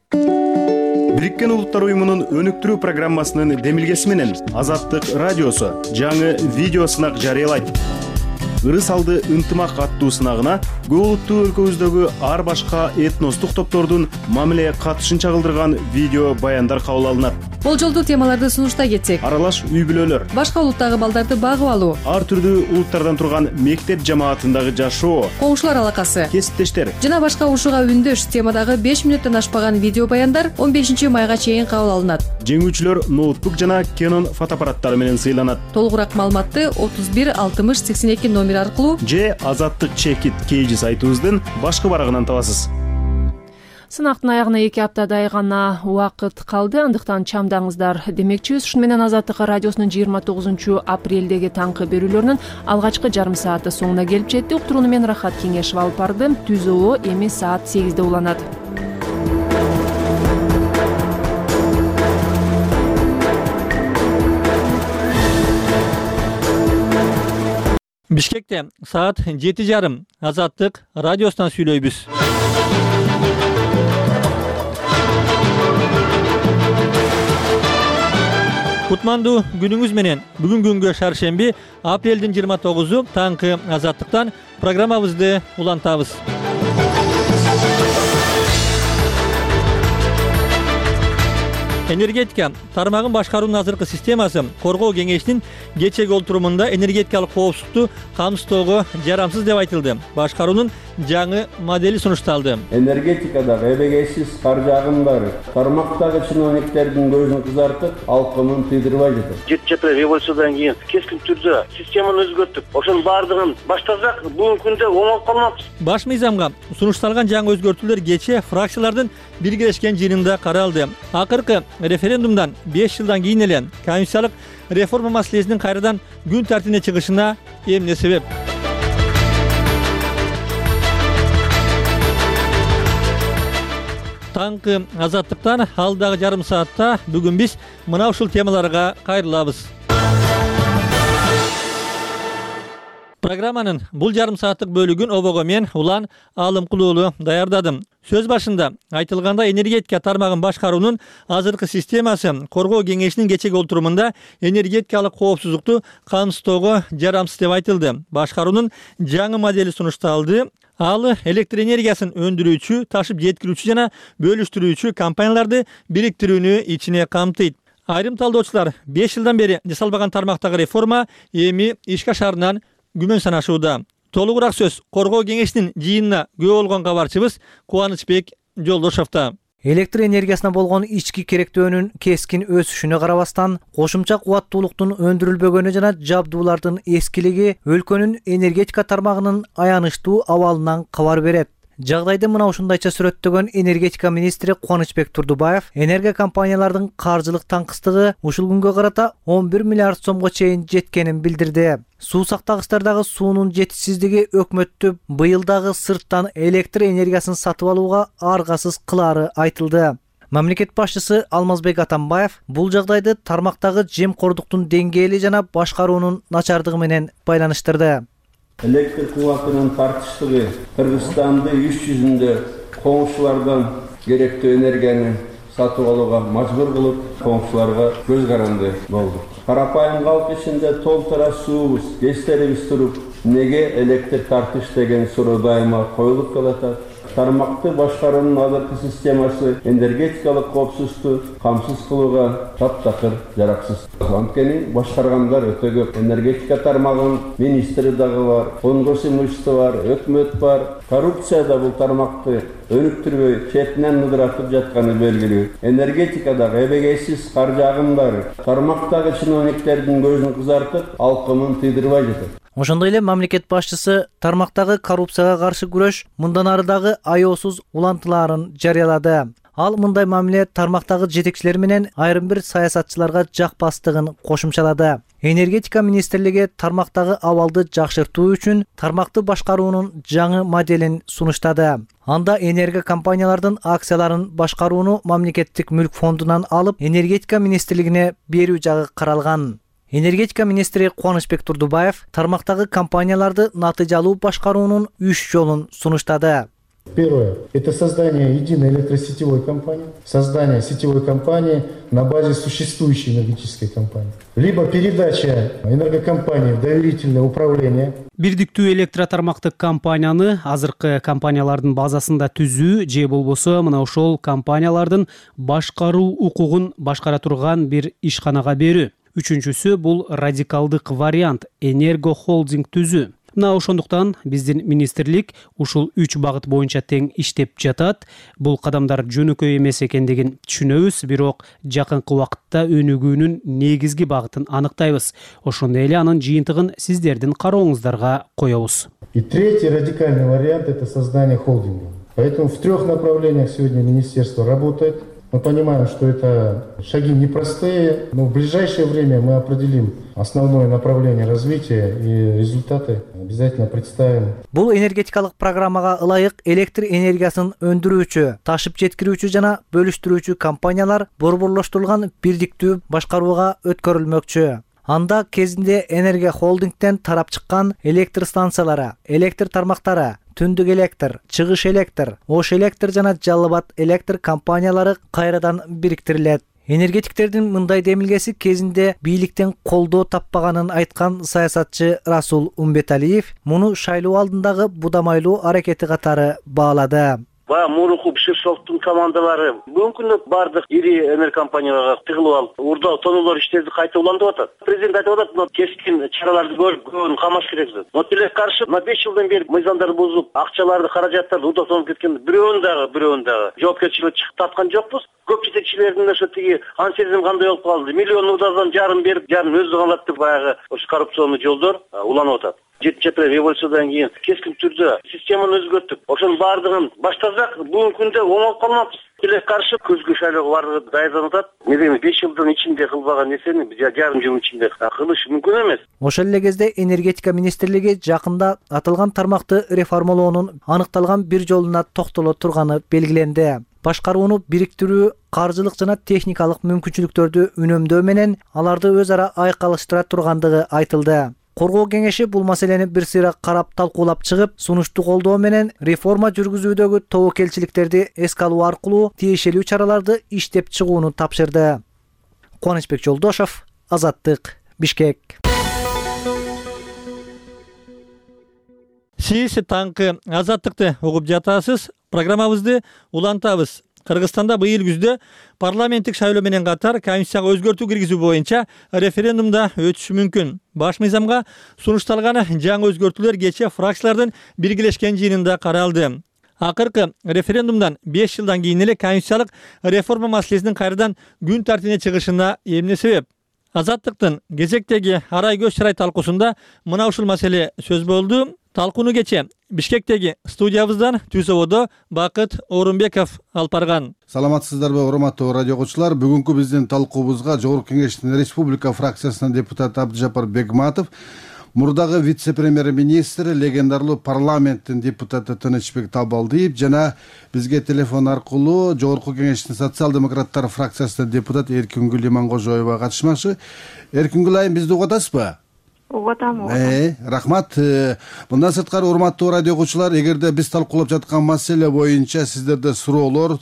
Бириккен Улуттар уюмунун өнүктүрүү программасынын демилгеси менен Азаттык радиосу жаңы видео сынак жарыялайт. ырыс алды ынтымак аттуу сынагына көп улуттуу өлкөбүздөгү ар башка этностук топтордун мамиле катышын чагылдырган видео баяндар кабыл алынат. Болжолдуу темаларды сунуштай кетсек: аралаш үй бүлөлөр, башка улуттагы балдарды багып алуу, ар түрдүү улуттардан турган мектеп жамаатындагы жашоо, коңшулар алакасы, кесиптештер жана башка ушуга үндөш темадагы беш мүнөттөн ашпаган видео баяндар он бешинчи майга чейин кабыл алынат. Жеңүүчүлөр ноутбук жана Canon фотоаппараттары менен сыйланат. Толугураак маалыматты отуз бир алтымыш сексен эки номер аркылуу же Азаттык Чекит кейжи сайтыбыздын башкы барагынан табасыз. Сынактын аягына эки аптадай гана убакыт калды, андыктан чамдаңыздар демекчибиз. Ушуну менен Азаттык радиосунун жыйырма тогузунчу апрелдеги таңкы берүүлөрүнүн алгачкы жарым сааты соңуна келип жетти. Уктурууну мен Рахат Кеңешов алып бардым. Түзөө эми саат сегизде уланат. Бишкекте саат жети жарым Азаттык радиосунан сүйлөйбүз. Кутмандуу күнүңүз менен. Бүгүн күнгө шаршемби, апрелдин жыйырма тогузу таңкы Азаттыктан программабызды улантабыз. Энергетика тармагын башкаруунун азыркы системасы коргоо кеңешинин кечеги олтурумунда энергетикалык коопсуздукту камсыздоого жарамсыз деп айтылды. Башкаруунун жаңы модели сунушталды. Энергетикадагы эбегейсиз каржы агымдары тармактагы чиновниктердин көзүн кызартып, алкымын тыйдырбай жатат. Жети жапыра революциядан кийин кескин түрдө системаны өзгөртүп, ошонун баардыгын баштасак, бүгүнкү күндө оңолуп калмакпыз. Баш мыйзамга сунушталган жаңы өзгөртүүлөр кече фракциялардын биргелешкен жыйынында каралды. Акыркы референдумдан беш жылдан кийин эле конституциялык реформа маселесинин кайрадан күн тартибине чыгышына эмне себеп? Таңкы Азаттыктан алдагы жарым саатта бүгүн биз мына ушул темаларга кайрылабыз. Программанын бул жарым сааттык бөлүгүн обого мен Улан Алымкулуулу даярдадым. Сөз башында айтылгандай, энергетика тармагын башкаруунун азыркы системасы коргоо кеңешинин кечеги олтурумунда энергетикалык коопсуздукту камсыздоого жарамсыз деп айтылды. Башкаруунун жаңы модели сунушталды. Ал электр энергиясын өндүрүүчү, ташып жеткирүүчү жана бөлүштүрүүчү компанияларды бириктирүүнү ичине камтыйт. Айрым талдоочулар беш жылдан бери жасалбаган тармактагы реформа эми ишке ашарынан күмөн санашууда. Толугураак сөз коргоо кеңешинин жыйынына күбө болгон кабарчыбыз Кубанычбек Жолдошовдо. Электр энергиясына болгон ички керектөөнүн кескин өсүшүнө карабастан, кошумча кубаттуулуктун өндүрүлбөгөнү жана жабдуулардын эскилиги өлкөнүн энергетика тармагынын аянычтуу абалынан кабар берет. Жагдайды мына ушундайча сүрөттөгөн энергетика министри Кубанычбек Турдубаев энергия компаниялардын каржылык таңкыстыгы ушул күнгө карата он бир миллиард сомго чейин жеткенин билдирди. Суу сактагычтардагы суунун жетишсиздиги өкмөттү быйыл дагы сырттан электр энергиясын сатып алууга аргасыз кылаары айтылды. Мамлекет башчысы Алмазбек Атамбаев бул жагдайды тармактагы жемкордуктун деңгээли жана башкаруунун начардыгы менен байланыштырды. Электр кубатынын тартыштыгы Кыргызстанды үч жүзүндө коңшулардан керектүү энергияны сатып алууга мажбур кылып, коңшуларга көз каранды болду. Карапайым калк ичинде толтура суубуз, гезтерибиз туруп, неге электр тартыш деген суроо дайыма коюлуп келатат. Тармакты башкаруунун азыркы системасы энергетикалык коопсуздукту камсыз кылууга таптакыр жараксыз. Анткени башкаргандар өтө көп. Энергетика тармагынын министри дагы бар, конгресс имущество бар, өкмөт бар. Коррупция да бул тармакты өнүктүрбөй, четинен ыдыратып жатканы белгилүү. Энергетикадагы эбегейсиз каржы агымдары тармактагы чиновниктердин көзүн кызартып, алкымын тыйдырбай жатат. Ошондой эле мамлекет башчысы тармактагы коррупцияга каршы күрөш мындан ары дагы аеосуз улантылаарын жарыялады. Ал мындай мамиле тармактагы жетекчилер менен айрым бир саясатчыларга жакпастыгын кошумчалады. Энергетика министрлиги тармактагы абалды жакшыртуу үчүн тармакты башкаруунун жаңы моделин сунуштады. Анда энергия компаниялардын акцияларын башкарууну мамлекеттик мүлк фондунан алып, энергетика министрлигине берүү жагы каралган. Энергетика министри Кубанычбек Турдубаев тармактагы компанияларды натыйжалуу башкаруунун үч жолун сунуштады. Первое – это создание единой электросетевой компании, создание сетевой компании на базе существующей энергетической компании, либо передача энергокомпании в доверительное управление. Бирдиктүү электро тармактык компанияны азыркы компаниялардын базасында түзүү же болбосо мына ошол компаниялардын башкаруу укугун башкара турган бир ишканага берүү. Үчүнчүсү бул радикалдык вариант – энерго холдинг түзүү. Мына ошондуктан биздин министрлик ушул үч багыт боюнча тең иштеп жатат. Бул кадамдар жөнөкөй эмес экендигин түшүнөбүз, бирок жакынкы убакытта өнүгүүнүн негизги багытын аныктайбыз. Ошондой эле анын жыйынтыгын сиздердин карооңуздарга коебуз. И третий радикальный вариант – это создание холдинга. Поэтому в трех направлениях сегодня министерство работает. Мы понимаем, что это шаги непростые, но в ближайшее время мы определим основное направление развития и результаты обязательно представим. Бул энергетикалык программага ылайык электр энергиясын өндүрүүчү, ташып жеткирүүчү жана бөлүштүрүүчү компаниялар борборлоштурулган бирдиктүү башкарууга өткөрүлмөкчү. Анда кезинде энергия холдингден тарап чыккан электр станциялары, электр тармактары, түндүк электр, чыгыш электр, ош электр жана жалал абад электр компаниялары кайрадан бириктирилет. Энергетиктердин мындай демилгеси кезинде бийликтен колдоо таппаганын айткан саясатчы Расул Умбеталиев муну шайлоо алдындагы будамайлуу аракети катары баалады. Баягы мурунку Биширшовдун командалары бүгүнкү күндө бардык ири энергокомпанияларга тыгылып алып, урдоо тоноолор иштерди кайта улантып атат. Президент айтып атат, мына кескин чараларды көрүп, көбүн камаш керек деп. Но тилекке каршы мына беш жылдан бери мыйзамдарды бузуп, акчаларды, каражаттарды урдоо тонуп кеткен бирөөнүн дагы, бирөөнүн дагы жоопкерчиликке чыгып тарткан жокпуз. Көп жетекчилердин ошо тиги ансезим кандай болуп калды. Миллион удадан жарым берип, жарым өзү калат деп баягы ошо коррупционный жолдор уланып атат. жетинчи апрель революциядан кийин кескин түрдө системаны өзгөртүп, ошонун баардыгын баштасак, бүгүнкү күндө оңолуп калмакпыз. Тилекке каршы күзгү шайлоого барууга даярданып атат. Медени беш жылдын ичинде кылбаган нерсени жарым жыл ичинде кылыш мүмкүн эмес. Ошол эле кезде энергетика министрлиги жакында аталган тармакты реформалоонун аныкталган бир жолуна токтоло турганы белгиленди. Башкарууну бириктирүү, каржылык жана техникалык мүмкүнчүлүктөрдү үнөмдөө менен аларды өз ара айкалыштыра тургандыгы айтылды. Коргоо кеңеши бул маселени бир сыйра карап талкуулап чыгып, сунушту колдоо менен реформа жүргүзүүдөгү тобокелчиликтерди эске алуу аркылуу тиешелүү чараларды иштеп чыгууну тапшырды. Кубанычбек Жолдошов, Азаттык, Бишкек. Сиз таңкы Азаттыкты угуп жатасыз. Программабызды улантабыз. Кыргызстанда быйыл күздө парламенттик шайлоо менен катар конституцияга өзгөртүү киргизүү боюнча референдумда өтүшү мүмкүн. Баш мыйзамга сунушталган жаңы өзгөртүүлөр кечээ фракциялардын биргелешкен жыйынында каралды. Акыркы референдумдан беш жылдан кийин эле конституциялык реформа маселесинин кайрадан күн тартибине чыгышына эмне себеп? Азаттыктын кезектеги арай көз чырай талкуусунда мына ушул маселе сөз болду. Талкууну кече Бишкектеги студиябыздан түз ободо Бакыт Орунбеков алып барган. Саламатсыздарбы, урматтуу радио окуучулар? Бүгүнкү биздин талкуубузга Жогорку Кеңештин Республика фракциясынын депутаты Абдыжапар Бегматов, мурдагы вице-премьер-министр, легендарлуу парламенттин депутаты Тынычбек Табалдиев жана бизге телефон аркылуу Жогорку Кеңештин социал-демократтар фракциясынын депутаты Эркингүл Имангожоева катышмакчы. Эркингүл айым, бизди угуп атасызбы? Угуп атам. Э, рахмат. Мындан сырткары, урматтуу радио окуучулар, эгерде биз талкуулап жаткан маселе боюнча сиздерде суроолор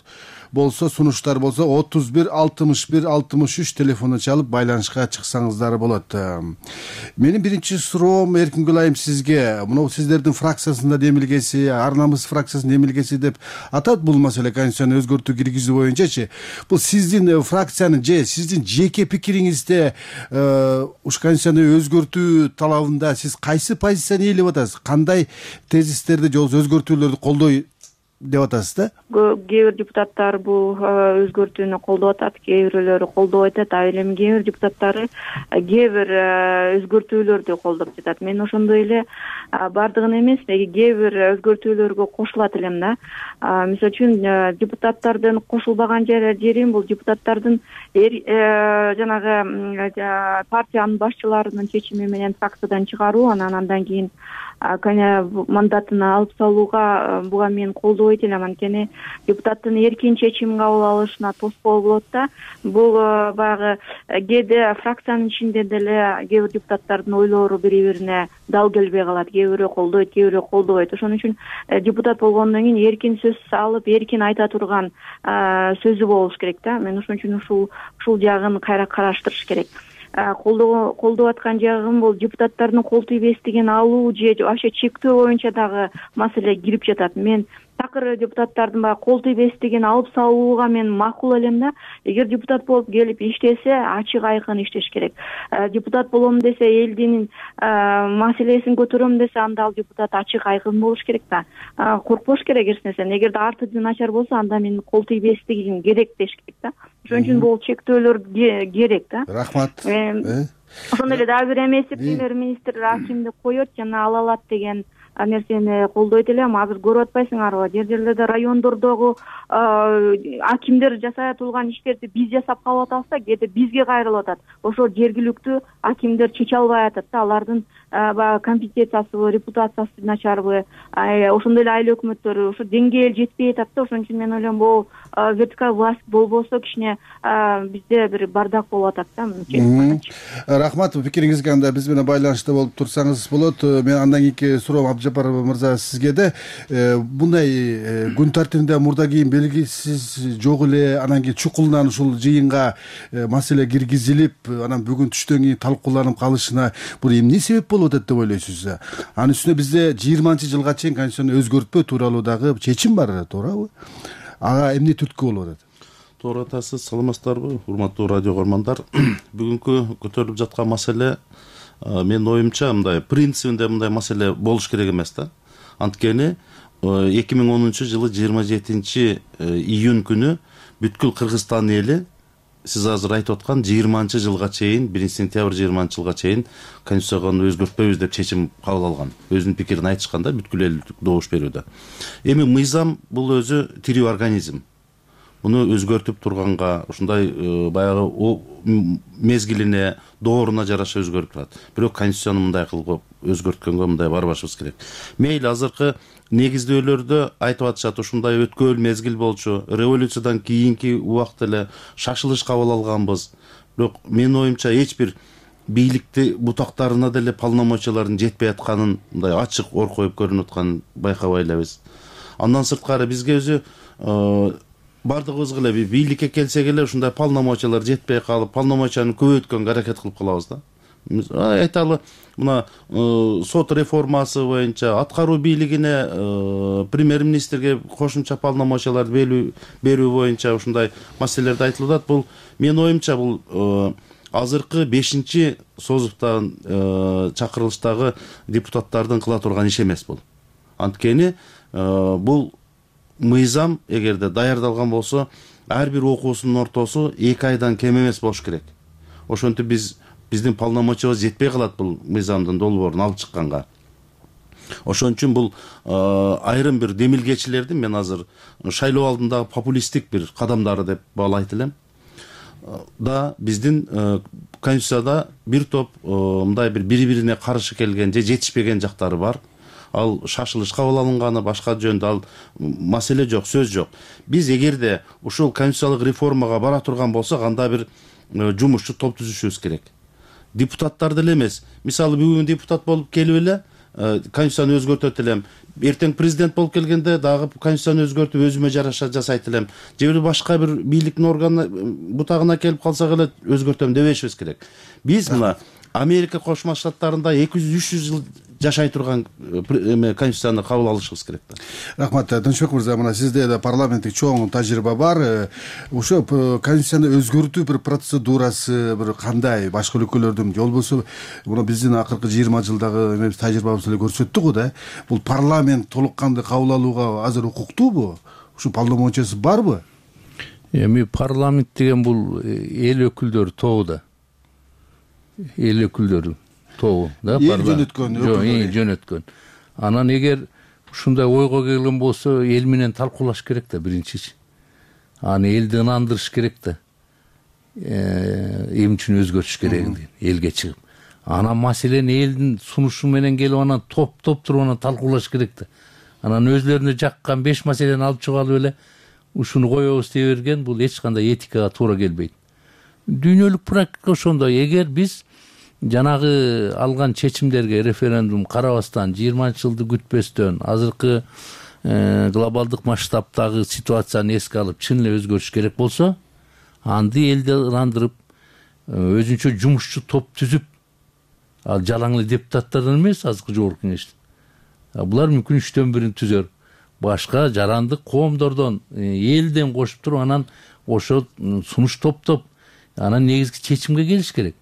болсо, сунуштар болсо, отуз бир алтымыш бир алтымыш үч телефону чалып байланышка чыксаңыздар болот. Менин биринчи суроом, Эркингүл айым, сизге. Мына сиздердин фракциясында демилгеси, Ар намыс фракциясынын демилгеси деп атат бул маселе, конституцияны өзгөртүү киргизүү боюнчачы. Бул сиздин фракциянын же сиздин жеке пикириңизде ушу конституцияны өзгөртүү талабында сиз кайсы позицияны ээлеп атасыз? Кандай тезистерди же өзгөртүүлөрдү колдой деп атасыз да? Кээ бир депутаттар бул өзгөртүүнү колдоп атат, кээ бирөөлөрү колдобой атат, а эми кээ бир депутаттары кээ бир өзгөртүүлөрдү колдоп жатат. Мен ошондой эле бардыгын эмес, кээ бир өзгөртүүлөргө кошулат элем да. Мисалы үчүн депутаттардын кошулбаган жерим бул депутаттардын жанагы партиянын башчыларынын чечими менен фракциядан чыгаруу, анан андан кийин мандатын алып салууга буга мен колдобойт элем. Анткени депутаттын эркин чечим кабыл алышына тоскоол болот да. Бул баягы кээде фракциянын ичинде деле кээ бир депутаттардын ойлору бири-бирине дал келбей калат. Кээ бирөө колдойт, кээ бирөө колдобойт. Ошон үчүн депутат болгондон кийин эркин сөз алып, эркин айта турган сөзү болуш керек да. Мен ошон үчүн ушул ушул жагын кайра караштырыш керек. Колдоп аткан жагым бул депутаттардын кол тийбестигин алуу же вообще чектөө боюнча дагы маселе кирип жатат. Мен такыр депутаттардын баягы кол тийбестигин алып салууга мен макул элем да. Эгер депутат болуп келип иштесе, ачык айкын иштеш керек. Депутат болом десе, элдин маселесин көтөрөм десе, анда ал депутат ачык айкын болуш керек да. Коркпош керек эч нерседен. Эгерде арты начар болсо, анда мен кол тийбестигим керек деш керек да. Ошон үчүн бул чектөөлөр керек да. Рахмат. Ошондой эле дагы бир эмеси премьер-министр акимди коет жана ала алат деген нерсени колдойт элем. Азыр көрүп атпайсыңарбы? Жер жерлерде райондордогу акимдер жасай турган иштерди биз жасап калып атабызда, кээде бизге кайрылып атат. Ошо жергиликтүү акимдер чече албай атат да. Алардын баягы компетенциясыбы, репутациясы начарбы, ошондой эле айыл өкмөттөрү ошо деңгээл жетпей атат да. Ошон үчүн мен ойлойм, бул вертикаль власть болбосо кичине бизде бир бардак болуп атат да. Рахмат, пикириңизге. Анда биз менен байланышта болуп турсаңыз болот. Мен андан кийинки суроом Абдыжапар мырза сизге да. Мындай күн тартибинде мурда кийин белгисиз жок эле, анан кийин чукулунан ушул жыйынга маселе киргизилип, анан бүгүн түштөн кийин талкууланып калышына бул эмне себеп болуп атат деп ойлойсуз? Анын үстүнө бизде жыйырманчы жылга чейин конституцияны өзгөртпөө тууралуу дагы чечим бар, туурабы? Ага эмне түрткү болуп атат? Туура атасыз, саламатсыздарбы, урматтуу радио көрмандар. Бүгүнкү көтөрүлүп жаткан маселе менин оюмча мындай принцибинде мындай маселе болуш керек эмес да. Анткени эки миң онунчу жылы жыйырма жетинчи июнь күнү бүткүл Кыргызстан эли сиз азыр айтып аткан жыйырманчы жылга чейин, биринчи сентябрь жыйырманчы жылга чейин конституцияга өзгөртпөйбүз деп чечим кабыл алган. Өзүнүн пикирин айтышканда бүткүл эл добуш берүүдө. Эми мыйзам бул өзү тирүү организм. Буну өзгөртүп турганга ушундай баягы мезгилине, дооруна жараша өзгөрүп турат. Бирок конституцияны мындай кылып өзгөрткөнгө мындай барбашыбыз керек. Мейли азыркы негиздөөлөрдө айтып атышат, ушундай өткөөл мезгил болчу, революциядан кийинки убакта эле шашылыш кабыл алганбыз. Бирок менин оюмча эч бир бийликти бутактарына деле полномочиялардын жетпей атканын мындай ачык ор коюп көрүнүп атканын байкабай элебиз. Андан сырткары бизге өзү бардыгыбызга эле бийликке келсек эле ушундай полномочиялар жетпей калып, полномочияны көбөйткөнгө аракет кылып калабыз да. Айталы, мына сот реформасы боюнча аткаруу бийлигине премьер-министрге кошумча полномочиялар берүү боюнча ушундай маселелерди айтылып атат. Бул менин оюмча бул азыркы бешинчи созуптан чакырылыштагы депутаттардын кыла турган иш эмес бул. Анткени бул мыйзам эгерде даярдалган болсо, ар бир окуусунун ортосу эки айдан кем эмес болуш керек. Ошентип биз биздин полномочиябыз жетпей калат бул мыйзамдын долбоорун алып чыкканга. Ошон үчүн бул айрым бир демилгечилердин мен азыр шайлоо алдындагы популисттик бир кадамдары деп баалайт элем. Да биздин конституцияда бир топ мындай бир бири-бирине каршы келген же жетишпеген жактары бар. Ал шашылыш кабыл алынганы, башка жөндө ал маселе жок, сөз жок. Биз эгерде ушул конституциялык реформага бара турган болсок, анда бир жумушчу топ түзүшүбүз керек. Депутаттар деле эмес. Мисалы бүгүн депутат болуп келип эле конституцияны өзгөртөт элем. Эртең президент болуп келгенде дагы конституцияны өзгөртүп өзүмө жараша жасайт элем. Же бир башка бир бийликтин органы бутагына келип калсак эле өзгөртөм дебешибиз керек. Биз мына Америка Кошмо Штаттарында эки жүз үч жүз жыл жашай турган конституцияны кабыл алышыбыз керек да. Рахмат, Тынчбек мырза, мына сизде да парламенттик чоң тажрыйба бар. Ошо конституцияны өзгөртүү бир процедурасы бир кандай? Башка өлкөлөрдүн же болбосо мына биздин акыркы жыйырма жылдагы эмебиз тажрыйбабыз эле көрсөттү го да. Бул парламент толук кандуу кабыл алууга азыр укуктуубу? Ушу полномочиясы барбы? Эми парламент деген бул эл өкүлдөрү тобу да. Эл өкүлдөрү тобу да, эл жөнөткөн жок, эл жөнөткөн. Анан эгер ушундай ойго келген болсо, эл менен талкуулаш керек да биринчичи. Аны элди ынандырыш керек да. Эмне үчүн өзгөртүш керегин элге чыгып. анан маселени элдин сунушу менен келип анан топтоп туруп анан талкуулаш керек да. Анан өзлөрүнө жаккан беш маселени алып чыгып алып эле ушуну коебуз дей берген, бул эч кандай этикага туура келбейт. Дүйнөлүк практика ошондой. Эгер биз жанагы алган чечимдерге референдум карабастан, жыйырманчы жылды күтпөстөн, азыркы глобалдык масштабтагы ситуацияны эске алып чын эле өзгөрүш керек болсо, анда элди ырандырып, өзүнчө жумушчу топ түзүп, ал жалаң эле депутаттардан эмес, азыркы жогорку кеңештен. Булар мүмкүн үчтөн бирин түзөр. Башка жарандык коомдордон, элден кошуп туруп, анан ошо сунуш топтоп, анан негизги чечимге келиш керек.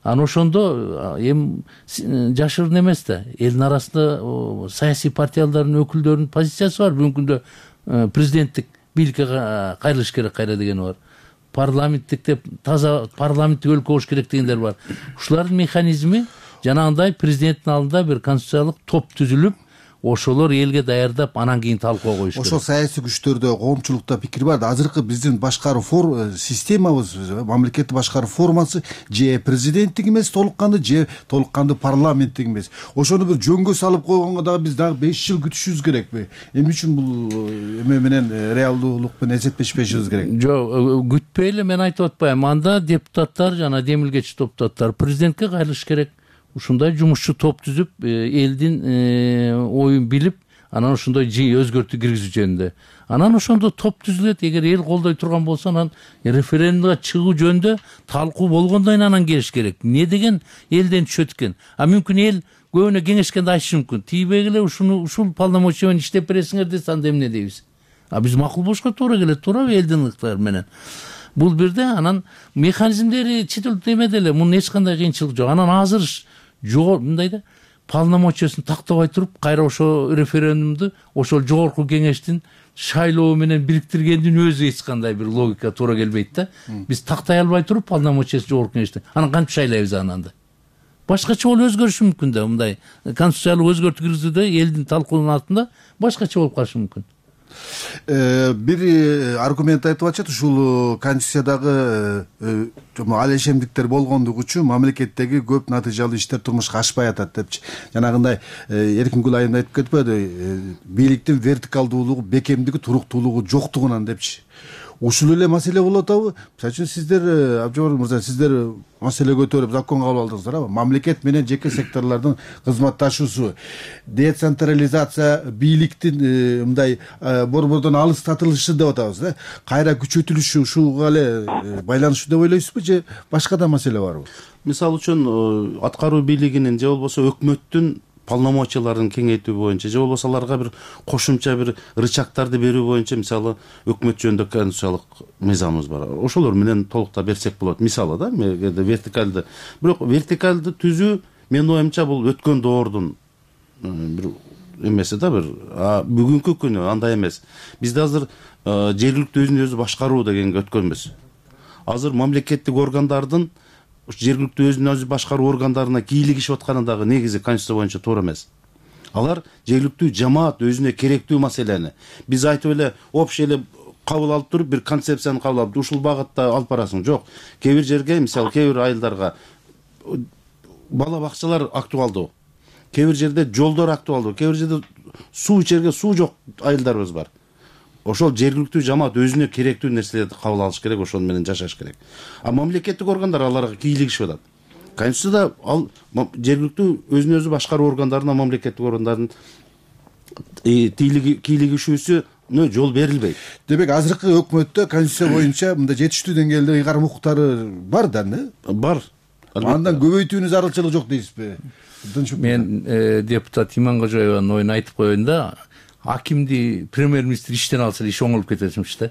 Анан ошондо эми жашырын эмес да, элдин арасында саясий партиялардын өкүлдөрүнүн позициясы бар. Бүгүнкү күндө президенттик бийликке кайрылыш керек кайра дегени бар. Парламенттик деп таза парламенттик өлкө болуш керек дегендер бар. Ушулардын механизми жанагындай президенттин алдында бир конституциялык топ түзүлүп, ошолор элге даярдап, анан кийин талкууга коюш керек. Ошол саясий күчтөрдө, коомчулукта пикир бар да. Азыркы биздин башкаруу системабыз, мамлекетти башкаруу формасы же президенттик эмес толук кандуу, же толук кандуу парламенттик эмес. Ошону бир жөнгө салып койгонго дагы биз дагы беш жыл күтүшүбүз керекпи? Эмне үчүн бул эме менен реалдуулук менен эсептешпешибиз керек? Жок, күтпөй эле мен айтып атпайм. Анда депутаттар жана демилгечи депутаттар президентке кайрылыш керек. Ушундай жумушчу топ түзүп, элдин оюн билип, анан ошондой өзгөртүү киргизүү жөнүндө. Анан ошондо топ түзүлөт. Эгер эл колдой турган болсо, анан референдумга чыгуу жөнүндө талкуу болгондон анан келиш керек. Эмне деген элден түшөт экен? А мүмкүн эл көбүнө кеңешкенде айтышы мүмкүн. Тийбей эле ушуну ушул полномочия менен иштеп бересиңер десе, анда эмне дейбиз? А биз макул болушка туура келет, туурабы элдин ыктыяры менен? Бул бирде, анан механизмдери чет элде эмеде эле, мунун эч кандай кыйынчылык жок. Анан азыр жогор мындай да, полномочиясын тактабай туруп, кайра ошо референдумду ошол жогорку кеңештин шайлоо менен бириктиргендин өзү эч кандай бир логика туура келбейт да. Биз тактай албай туруп полномочиясын жогорку кеңештин, анан кантип шайлайбыз ананда? Башкача болуп өзгөрүшү мүмкүн да, мындай конституциялык өзгөртүү киргизүүдө элдин талкуунун артында башкача болуп калышы мүмкүн. Бир аргумент айтып атышат, ушул конституциядагы алешемдиктер болгондугу үчүн мамлекеттеги көп натыйжалуу иштер турмушка ашпай атат депчи. Жанагындай Эркин Гүлайым айтып кетпеди, бийликтин вертикалдуулугу, бекемдиги, туруктуулугу жоктугунан депчи. Ушул эле маселе болуп атабы? Мисалы үчүн сиздер, Абжабар мырза, сиздер маселе көтөрүп закон кабыл алдыңыздар, мамлекет менен жеке секторлордун кызматташуусу, децентрализация, бийликтин мындай борбордон алыстатылышы деп атабыз да. Кайра күчөтүлүшү ушуга эле байланыштуу деп ойлойсузбу, же башка да маселе барбы? Мисалы үчүн аткаруу бийлигинин же болбосо өкмөттүн полномочияларын кеңейтүү боюнча, же болбосо аларга бир кошумча бир рычагтарды берүү боюнча, мисалы өкмөт жөнүндө конституциялык мыйзамыбыз бар. Ошолор менен толуктап берсек болот. Мисалы да, вертикалды. Бирок вертикалды түзүү менин оюмча бул өткөн доордун бир эмеси да, бир. А бүгүнкү күнү андай эмес. Бизде азыр жергиликтүү өзүн өзү башкаруу дегенге өткөнбүз. Азыр мамлекеттик органдардын жергиликтүү өзүн өзү башкаруу органдарына кийлигишип атканы дагы негизи конституция боюнча туура эмес. Алар жергиликтүү жамаат өзүнө керектүү маселени биз айтып эле общий эле кабыл алып туруп, бир концепцияны кабыл алып, ушул багытта алып барасың. Жок. Кээ бир жерге, мисалы, кээ бир айылдарга бала бакчалар актуалдуу. Кээ бир жерде жолдор актуалдуу. Кээ бир жерде суу ичерге суу жок айылдарыбыз бар. Ошол жергиликтүү жамаат өзүнө керектүү нерселерди кабыл алыш керек, ошол менен жашаш керек. А мамлекеттик органдар аларга кийлигишип атат. Конституцияда ал жергиликтүү өзүн өзү башкаруу органдарына мамлекеттик органдардын кийлигишүүсүнө жол берилбейт. Демек, азыркы өкмөттө конституция боюнча мындай жетиштүү деңгээлде ыйгарым укуктары бар да, не? Бар. Андан көбөйтүүнүн зарылчылыгы жок дейсизби? Мен депутат Иманкожоеванын оюн айтып коеюн да. Акимди премьер-министр иштен алса иш оңолуп кететимиш да.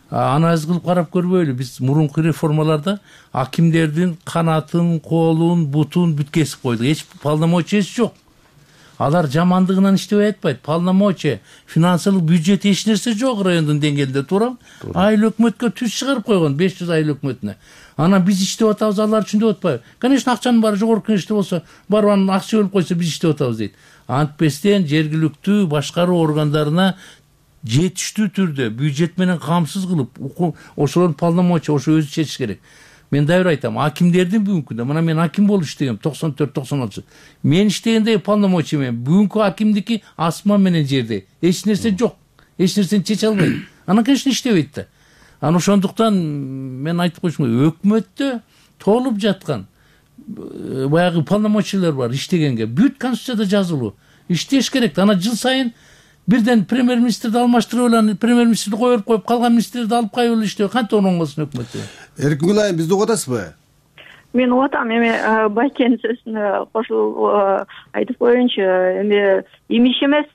Анализ кылып карап көрбөйлү. Биз мурунку реформаларда акимдердин канатын, колун, бутун бүт кесип койдук. Эч полномочиясы жок. Алар жамандыгынан иштебей атпайт. Полномочия, финансылык бюджет эч нерсе жок райондун деңгээлинде, туурабы? Айыл өкмөткө түз чыгарып койгон, беш жүз айыл өкмөтүнө. Анан биз иштеп атабыз, алар үчүн деп атпайбы? Конечно, акчанын баары жогорку кеңеште болсо, барып анын акча бөлүп койсо биз иштеп атабыз дейт. Антпестен жергиликтүү башкаруу органдарына жетиштүү түрдө бюджет менен камсыз кылып, ошолордун полномочия ошо өзү чечиш керек. мен дайыр айтам, акимдердин бүгүнкү күндө мына мен аким болуп иштегем токсон төрт токсон алтынчы мен иштегенде полномочия менен, бүгүнкү акимдики асман менен жердей, эч нерсе жок, эч нерсени чече албайт. Анан конечно иштебейт да. Анан ошондуктан мен айтып коюшум керек, өкмөттө толуп жаткан баягы полномочиялар бар иштегенге, бүт конституцияда жазылуу. Иштеш керек. Анан жыл сайын бирден премьер-министрди алмаштырып алып, премьер-министрди коюп коюп калган министрди алып кайып эле иштеп, кантип оңолсун өкмөттө? Эркингүл айым, бизди угуп атасызбы? Мен угуп атам. Эми Байкенин сөзүнө кошулуп айтып коеюнчу, эми имиш эмес,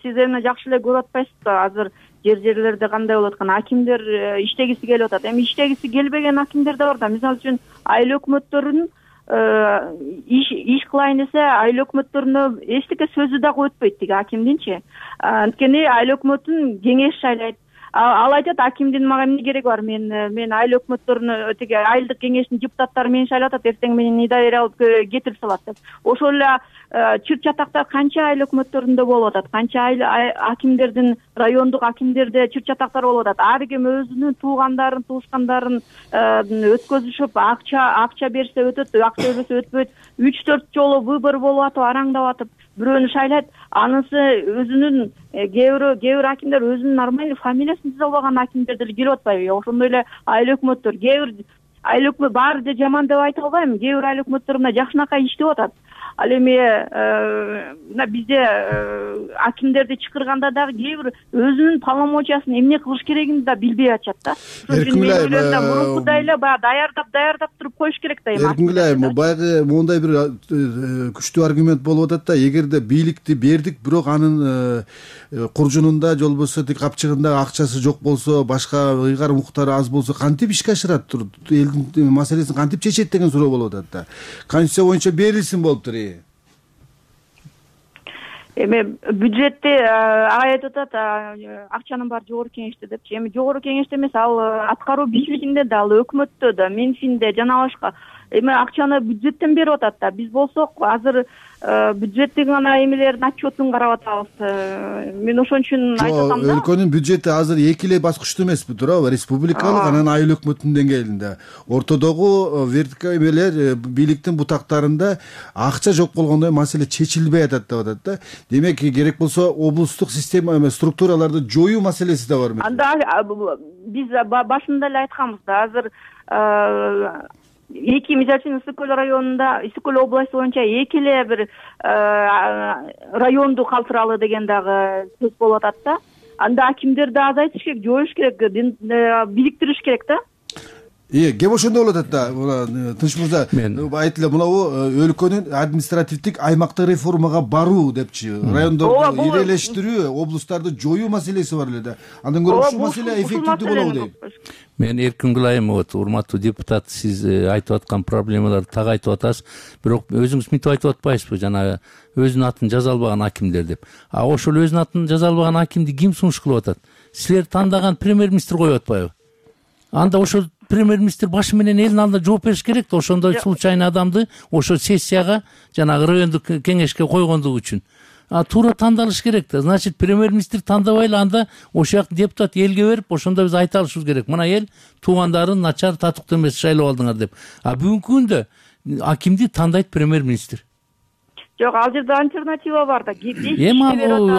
сиз эми жакшы эле көрүп атпайсызбы, азыр жер жерлерде кандай болуп аткан, акимдер иштегиси келип атат. Эми иштегиси келбеген акимдер да бар да. Мисалы үчүн айыл өкмөттөрүн иш иш кылайын десе, айыл өкмөттөрүнө эчтеке сөзү дагы өтпөйт тиги акимдинчи. Анткени айыл өкмөтүн кеңеш шайлайт. Ал айтат, акимдин мага эмне кереги бар, мен мен айыл өкмөттөрүнө тиги айылдык кеңештин депутаттары мени шайлап атат, эртең менен недоверие алып кетирип салат деп. Ошол эле чыр чатактар канча айыл өкмөттөрүндө болуп атат, канча айыл акимдердин, райондук акимдерде чыр чатактар болуп атат. Ар ким өзүнүн туугандарын, туушкандарын өткөзүшүп, акча акча берсе өтөт, акча бербесе өтпөйт. үч төрт жолу выбор болуп атып, араңдап атып, бирөөнү шайлайт. Анысы өзүнүн кээ бир кээ бир акимдер өзүнүн нормальный фамилиясын түзө албаган акимдер деле келип атпайбы? Ошондой эле айыл өкмөттөр, кээ бир айыл өкмөт баары да жаман деп айта албайм. Кээ бир айыл өкмөттөр мына жакшынакай иштеп атат. Ал эми мына бизде акимдерди чакырганда дагы кээ бир өзүнүн полномочиясын эмне кылыш керегин да билбей атышат да. Эркингүл айым, мурункудай эле баягы даярдап даярдап туруп коюш керек да эми. Эркингүл айым, баягы моундай бир күчтүү аргумент болуп атат да, эгерде бийликти бердик, бирок анын куржунунда же болбосо тик капчыгында акчасы жок болсо, башка ыйгар укуктары аз болсо, кантип ишке ашырат, элдин маселесин кантип чечет деген суроо болуп атат да. Конституция боюнча берилсин болуптур. Эми бюджетти ага айтып атат, акчанын баары жогорку кеңеште депчи. Эми жогорку кеңеште эмес, ал аткаруу бийлигинде да, ал өкмөттө да, Минфинде жана башка. Эми акчаны бюджеттен берип атат да. Биз болсок азыр бюджеттин гана эмелерин отчетун карап атабыз. Мен ошон үчүн айтып атам да. Өлкөнүн бюджети азыр эки эле баскычтуу эмеспи, туурабы? Республикалык, анан айыл өкмөтүнүн деңгээлинде. Ортодогу вертикаль эмелер бийликтин бутактарында акча жок болгондой маселе чечилбей атат деп атат да. Демек, керек болсо облустук система эмес, структураларды жоюу маселеси да бар. Анда биз башында эле айтканбыз да, азыр эки, мисалы үчүн Ысык көл районунда, Ысык көл областы боюнча эки эле бир районду калтыралы деген дагы сөз болуп атат да. Анда акимдерди азайтыш керек, жоюш керек, бириктириш керек да. Э, кеп ошондой болуп атат да. Тынч мырза, айтылы мынабу өлкөнүн административдик аймактык реформага баруу депчи, райондорду ирелештирүү, облустарды жоюу маселеси бар эле да. Андан көрө ушул маселе эффективдүү болобу дейм. Мен Эркингүл айым, урматтуу депутат, сиз айтып аткан проблемаларды так айтып атасыз. Бирок өзүңүз мынтип айтып атпайсызбы, жанагы өзүнүн атын жаза албаган акимдер деп. А ошол өзүнүн атын жаза албаган акимди ким сунуш кылып атат? Силер тандаган премьер-министр коюп атпайбы? Анда ошол премьер-министр башы менен элдин алдында жооп бериш керек да, ошондой случайный адамды ошо сессияга, жанагы райондук кеңешке койгондугу үчүн. А туура тандалыш керек да. Значит, премьер-министр тандабайлы, анда ошол жактын депутат элге берип, ошондо биз айта алышыбыз керек. Мына эл туугандарын начар, татыктуу эмес шайлап алдыңар деп. А бүгүнкү күндө акимди тандайт премьер-министр. Жок, ал жерде альтернатива бар да. Эми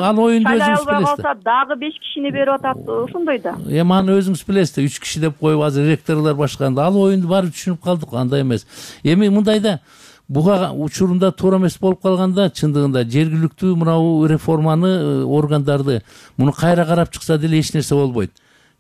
ал оюнду өзүңүз билесиз да. Дагы беш кишини берип атат, ошондой да. Эми аны өзүңүз билесиз да, үч киши деп коюп азыр ректорлор башканда. Ал оюнду баары түшүнүп калдык, андай эмес. Эми мындай да, буга учурунда туура эмес болуп калганда, чындыгында жергиликтүү мынабу реформаны, органдарды муну кайра карап чыкса деле эч нерсе болбойт.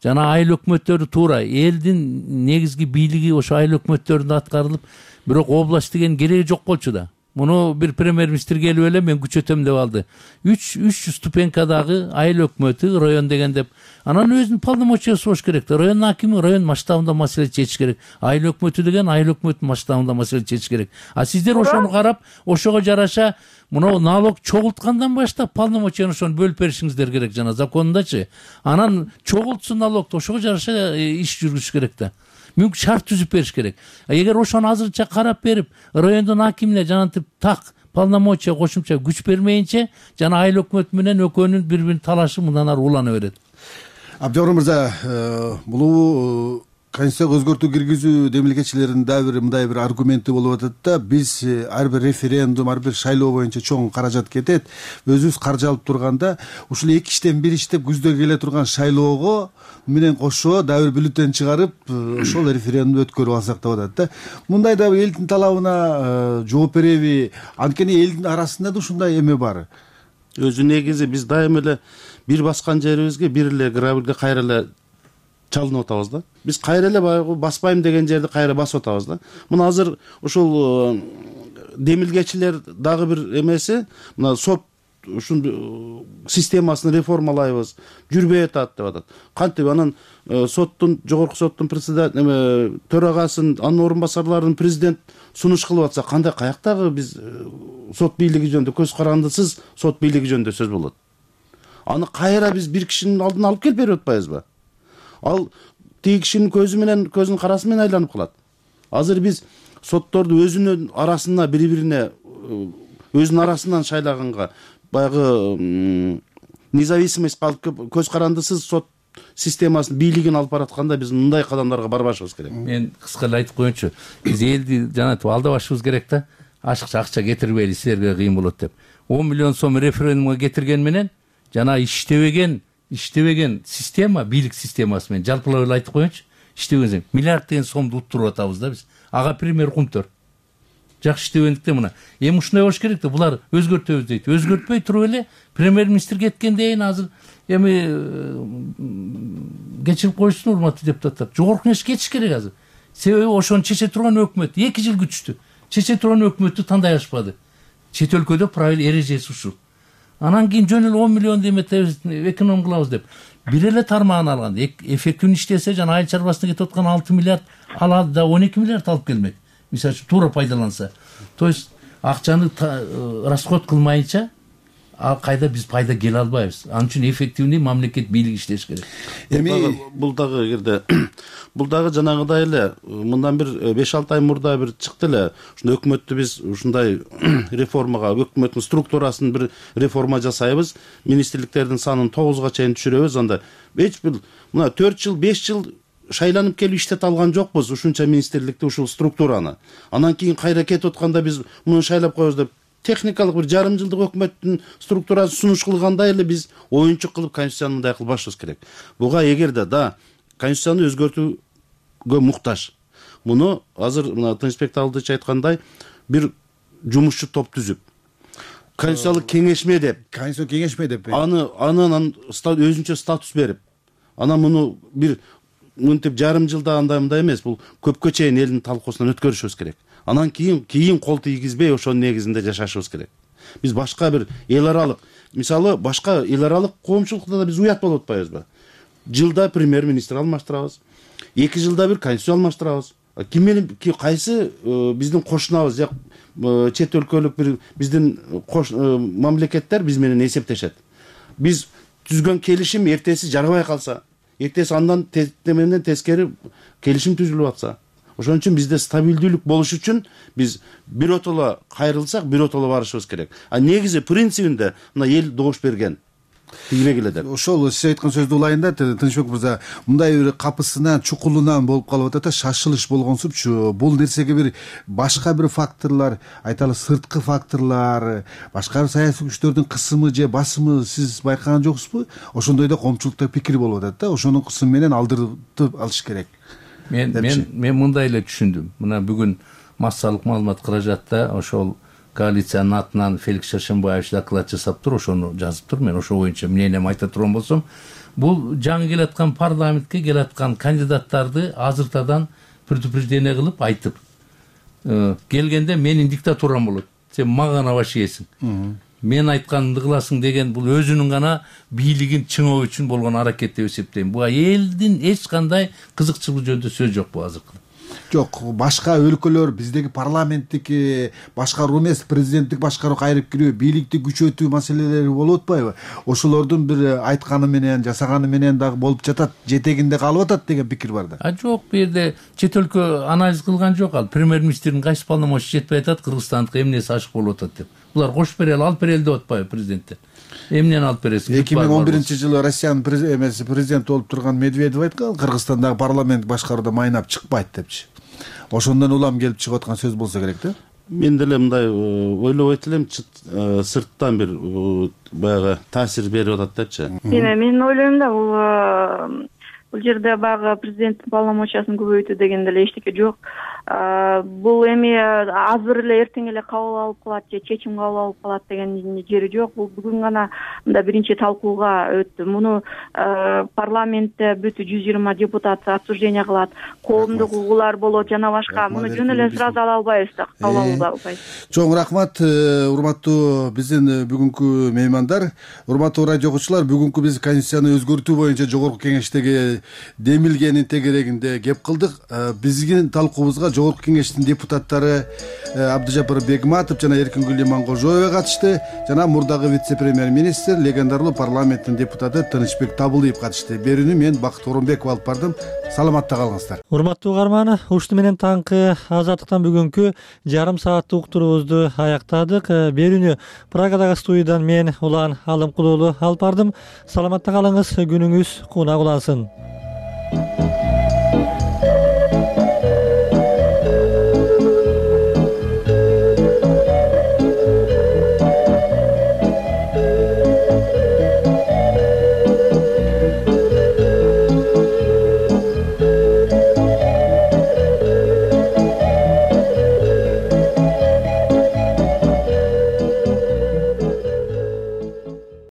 Жана айыл өкмөттөрү туура, элдин негизги бийлиги ошо айыл өкмөттөрүндө аткарылып, бирок область деген кереги жок болчу да. Муну бир премьер-министр келип эле мен күчөтөм деп алды. үч жүз ступенькадагы айыл өкмөтү, район деген деп. Анан өзүнүн полномочиясы болуш керек да. Район акими район масштабында маселе чечиш керек. Айыл өкмөтү деген айыл өкмөтүнүн масштабында маселе чечиш керек. А сиздер ошону карап, ошого жараша мына налог чогулткандан баштап полномочияны ошону бөлүп беришиңиздер керек жана законундачы. Анан чогултсун налогду, ошого жараша иш жүргүзүш керек да. Мүмкүн шарт түзүп бериш керек. Эгер ошону азырынча карап берип, райондун акимине жанагынтип так полномочия, кошумча күч бермейинче, жана айыл өкмөтү менен экөөнүн бири-бирин талашы мындан ары улана берет. Абдыжапар мырза, бул конституцияга өзгөртүү киргизүү демилгечилеринин дагы бир мындай бир аргументи болуп атат да, биз ар бир референдум, ар бир шайлоо боюнча чоң каражат кетет, өзүбүз каржы алып турганда ушул эки иштен бир иштеп күздө келе турган шайлоого менен кошо дагы бир бюллетень чыгарып ошол референдумду өткөрүп алсак деп атат да. Мындай да элдин талабына жооп береби? Анткени элдин арасында да ушундай эме бар. Өзү негизи биз дайыма эле бир баскан жерибизге бир эле грабилге кайра эле чалынып атабыз да. Биз кайра эле баягы баспайм деген жерди кайра басып атабыз да. Мына азыр ушул демилгечилер дагы бир эмеси, мына сот ушун системасын реформалайбыз, жүрбөй атат деп атат. Кантип анан соттун, жогорку соттун председатель, төрагасын, анын орун басарларын президент сунуш кылып атса, кандай каяктагы биз сот бийлиги жөнүндө, көз карандысыз сот бийлиги жөнүндө сөз болот. Аны кайра биз бир кишинин алдына алып келип берип атпайбызбы? Ал тиги кишинин көзү менен, көзүнүн карасы менен айланып калат. Азыр биз сотторду өзүнүн арасына бири-бирине өзүнүн арасынан шайлаганга, баягы независимость калып, көз карандысыз сот системасын, бийлигин алып баратканда биз мындай кадамдарга барбашыбыз керек. Мен кыска эле айтып коеюнчу. Биз элди жанагы алдабашыбыз керек да. Ашыкча акча кетирбейли, силерге кыйын болот деп. он миллион сом референдумга кетирген менен жана иштебеген, иштебеген система, бийлик системасы менен жалпылап эле айтып коеюнчу. Иштебеген миллиарддеген сомду уттуруп атабыз да биз. Ага пример кумтөр. Жакшы иштебендиктен мына. Эми ушундай болуш керек да, булар өзгөртөбүз дейт. Өзгөртпөй туруп эле премьер-министр кеткенден азыр эми кечирип коюшсун урматтуу депутаттар. Жогорку кеңеш кетиш керек азыр. Себеби ошону чече турган өкмөт эки жыл күчтү. Чече турган өкмөттү тандай алышпады. Чет өлкөдө правил эрежеси ушул. Анан кийин жөн эле он миллион деметебиз, эконом кылабыз деп. Бир эле тармагын алган. Эффективдүү иштесе жана айыл чарбасына кетип аткан алты миллиард алады да он эки миллиард алып келмек. Мисалы үчүн туура пайдаланса. То есть акчаны расход кылмайынча ал кайда биз пайда келе албайбыз. Анын үчүн эффективный мамлекет бийлиги иштеш керек. Эми бул дагы эгерде бул дагы жанагыдай эле мындан бир беш алты ай мурда бир чыкты эле. Ушундай өкмөттү биз ушундай реформага, өкмөттүн структурасын бир реформа жасайбыз. Министрликтердин санын тогузга чейин түшүрөбүз. Анда эч бир мына төрт жыл, беш жыл шайланып келип иштете алган жокпуз ушунча министрликти, ушул структураны. Анан кийин кайра кетип атканда биз муну шайлап коебуз деп техникалык бир жарым жылдык өкмөттүн структурасын сунуш кылгандай эле биз оюнчук кылып конституцияны мындай кылбашыбыз керек. Буга эгерде да конституцияны өзгөртүүгө муктаж. Муну азыр мына Тынычбек Талдыч айткандай бир жумушчу топ түзүп, конституциялык кеңешме деп, конституциялык кеңешме деп, аны анан өзүнчө статус берип, анан муну бир мынтип жарым жылда андай мындай эмес, бул көпкө чейин элдин талкуусунан өткөрүшүбүз керек. Анан кийин кийин кол тийгизбей ошонун негизинде жашашыбыз керек. Биз башка бир эл аралык, мисалы башка эл аралык коомчулукта да биз уят болуп атпайбызбы? Жылда премьер-министр алмаштырабыз, эки жылда бир конституция алмаштырабыз. Ким менен кайсы биздин кошунабыз, же чет өлкөлүк бир биздин мамлекеттер биз менен эсептешет. Биз түзгөн келишим эртеси жарабай калса, эртеси андан менен тескери келишим түзүлүп атса, ошон үчүн бизде стабилдүүлүк болуш үчүн биз биротоло кайрылсак, биротоло барышыбыз керек. А негизи принцибинде мына эл добуш берген. Тийбек эле деп. Ошол сиз айткан сөздү улайын да, Тынычбек мырза, мындай бир капысынан, чукулунан болуп калып атат, шашылыш болгонсупчу. Бул нерсеге бир башка бир факторлор, айталы сырткы факторлор, башка бир саясий күчтөрдүн кысымы же басымы сиз байкаган жоксузбу? Ошондой да коомчулукта пикир болуп атат да, ошонун кысымы менен алдыртып алыш керек. Мен мен мен мындай эле түшүндүм. Мына бүгүн массалык маалымат каражатта ошол коалициянын атынан Феликс Шашенбаевич доклад жасап тур, ошону жазып тур. Мен ошо боюнча мнением айта турган болсом, бул жаңы келаткан парламентке келаткан кандидаттарды азыртадан предупреждение кылып айтып, келгенде менин диктатурам болот. Сен мага набаш ийесиң. Мен айтканымды кыласың деген бул өзүнүн гана бийлигин чыңоо үчүн болгон аракет деп эсептейм. Буга элдин эч кандай кызыкчылыгы жөнүндө сөз жок бу азыркы. Жок, башка өлкөлөр биздеги парламенттик башкаруу эмес, президенттик башкаруу кайрып кирүү, бийликти күчөтүү маселелери болуп атпайбы? Ошолордун бир айтканы менен, жасаганы менен дагы болуп жатат, жетегинде калып атат деген пикир бар да. А жок, бу жерде чет өлкө анализ кылган жок. Ал премьер-министрдин кайсы полномочия жетпей атат, кыргызстандык эмнеси ашык болуп атат деп. булар кош берели алып берели деп атпайбы президенттен? Эмнени алып бересиң? эки миң он биринчи жылы Россиянын эмеси президенти болуп турган Медведев айткан, Кыргызстандагы парламент башкарууда майнап чыкпайт депчи. Ошондон улам келип чыгып аткан сөз болсо керек да. Мен деле мындай ойлобойт элем, сырттан бир баягы таасир берип атат депчи. Мен ойлойм да, бул бул жерде баягы президенттин полномочиясын көбөйтүү деген деле эчтеке жок. Бул эми азыр эле эртең эле кабыл алып калат же чечим кабыл алып калат деген жери жок. Бул бүгүн гана мында биринчи талкууга өттү. Муну парламентте бүт жүз жыйырма депутат обсуждение кылат. Коомдук угуулар болот жана башка. Муну жөн эле сразу ала албайбыз да, кабыл алып албайбыз. Чоң рахмат, урматтуу биздин бүгүнкү меймандар. Урматтуу радио окуучулар, бүгүнкү биз конституцияны өзгөртүү боюнча жогорку кеңештеги демилгенин тегерегинде кеп кылдык. Биздин талкуубузга Жогорку кеңештин депутаттары Абдыжапар Бегматов жана Эркингүл Иманкожоева катышты, жана мурдагы вице-премьер-министр, легендарлуу парламенттин депутаты Тынычбек Табылыев катышты. Берүүнү мен Бакыт Оронбеков алып бардым. Саламатта калыңыздар. Урматтуу угарман, ушуну менен таңкы Азаттыктан бүгүнкү жарым сааттык уктуруубузду аяктадык. Берүүнү Прагадагы студиядан мен Улан Алымкулуулу алып бардым. Саламатта калыңыз, күнүңүз кунак улансын.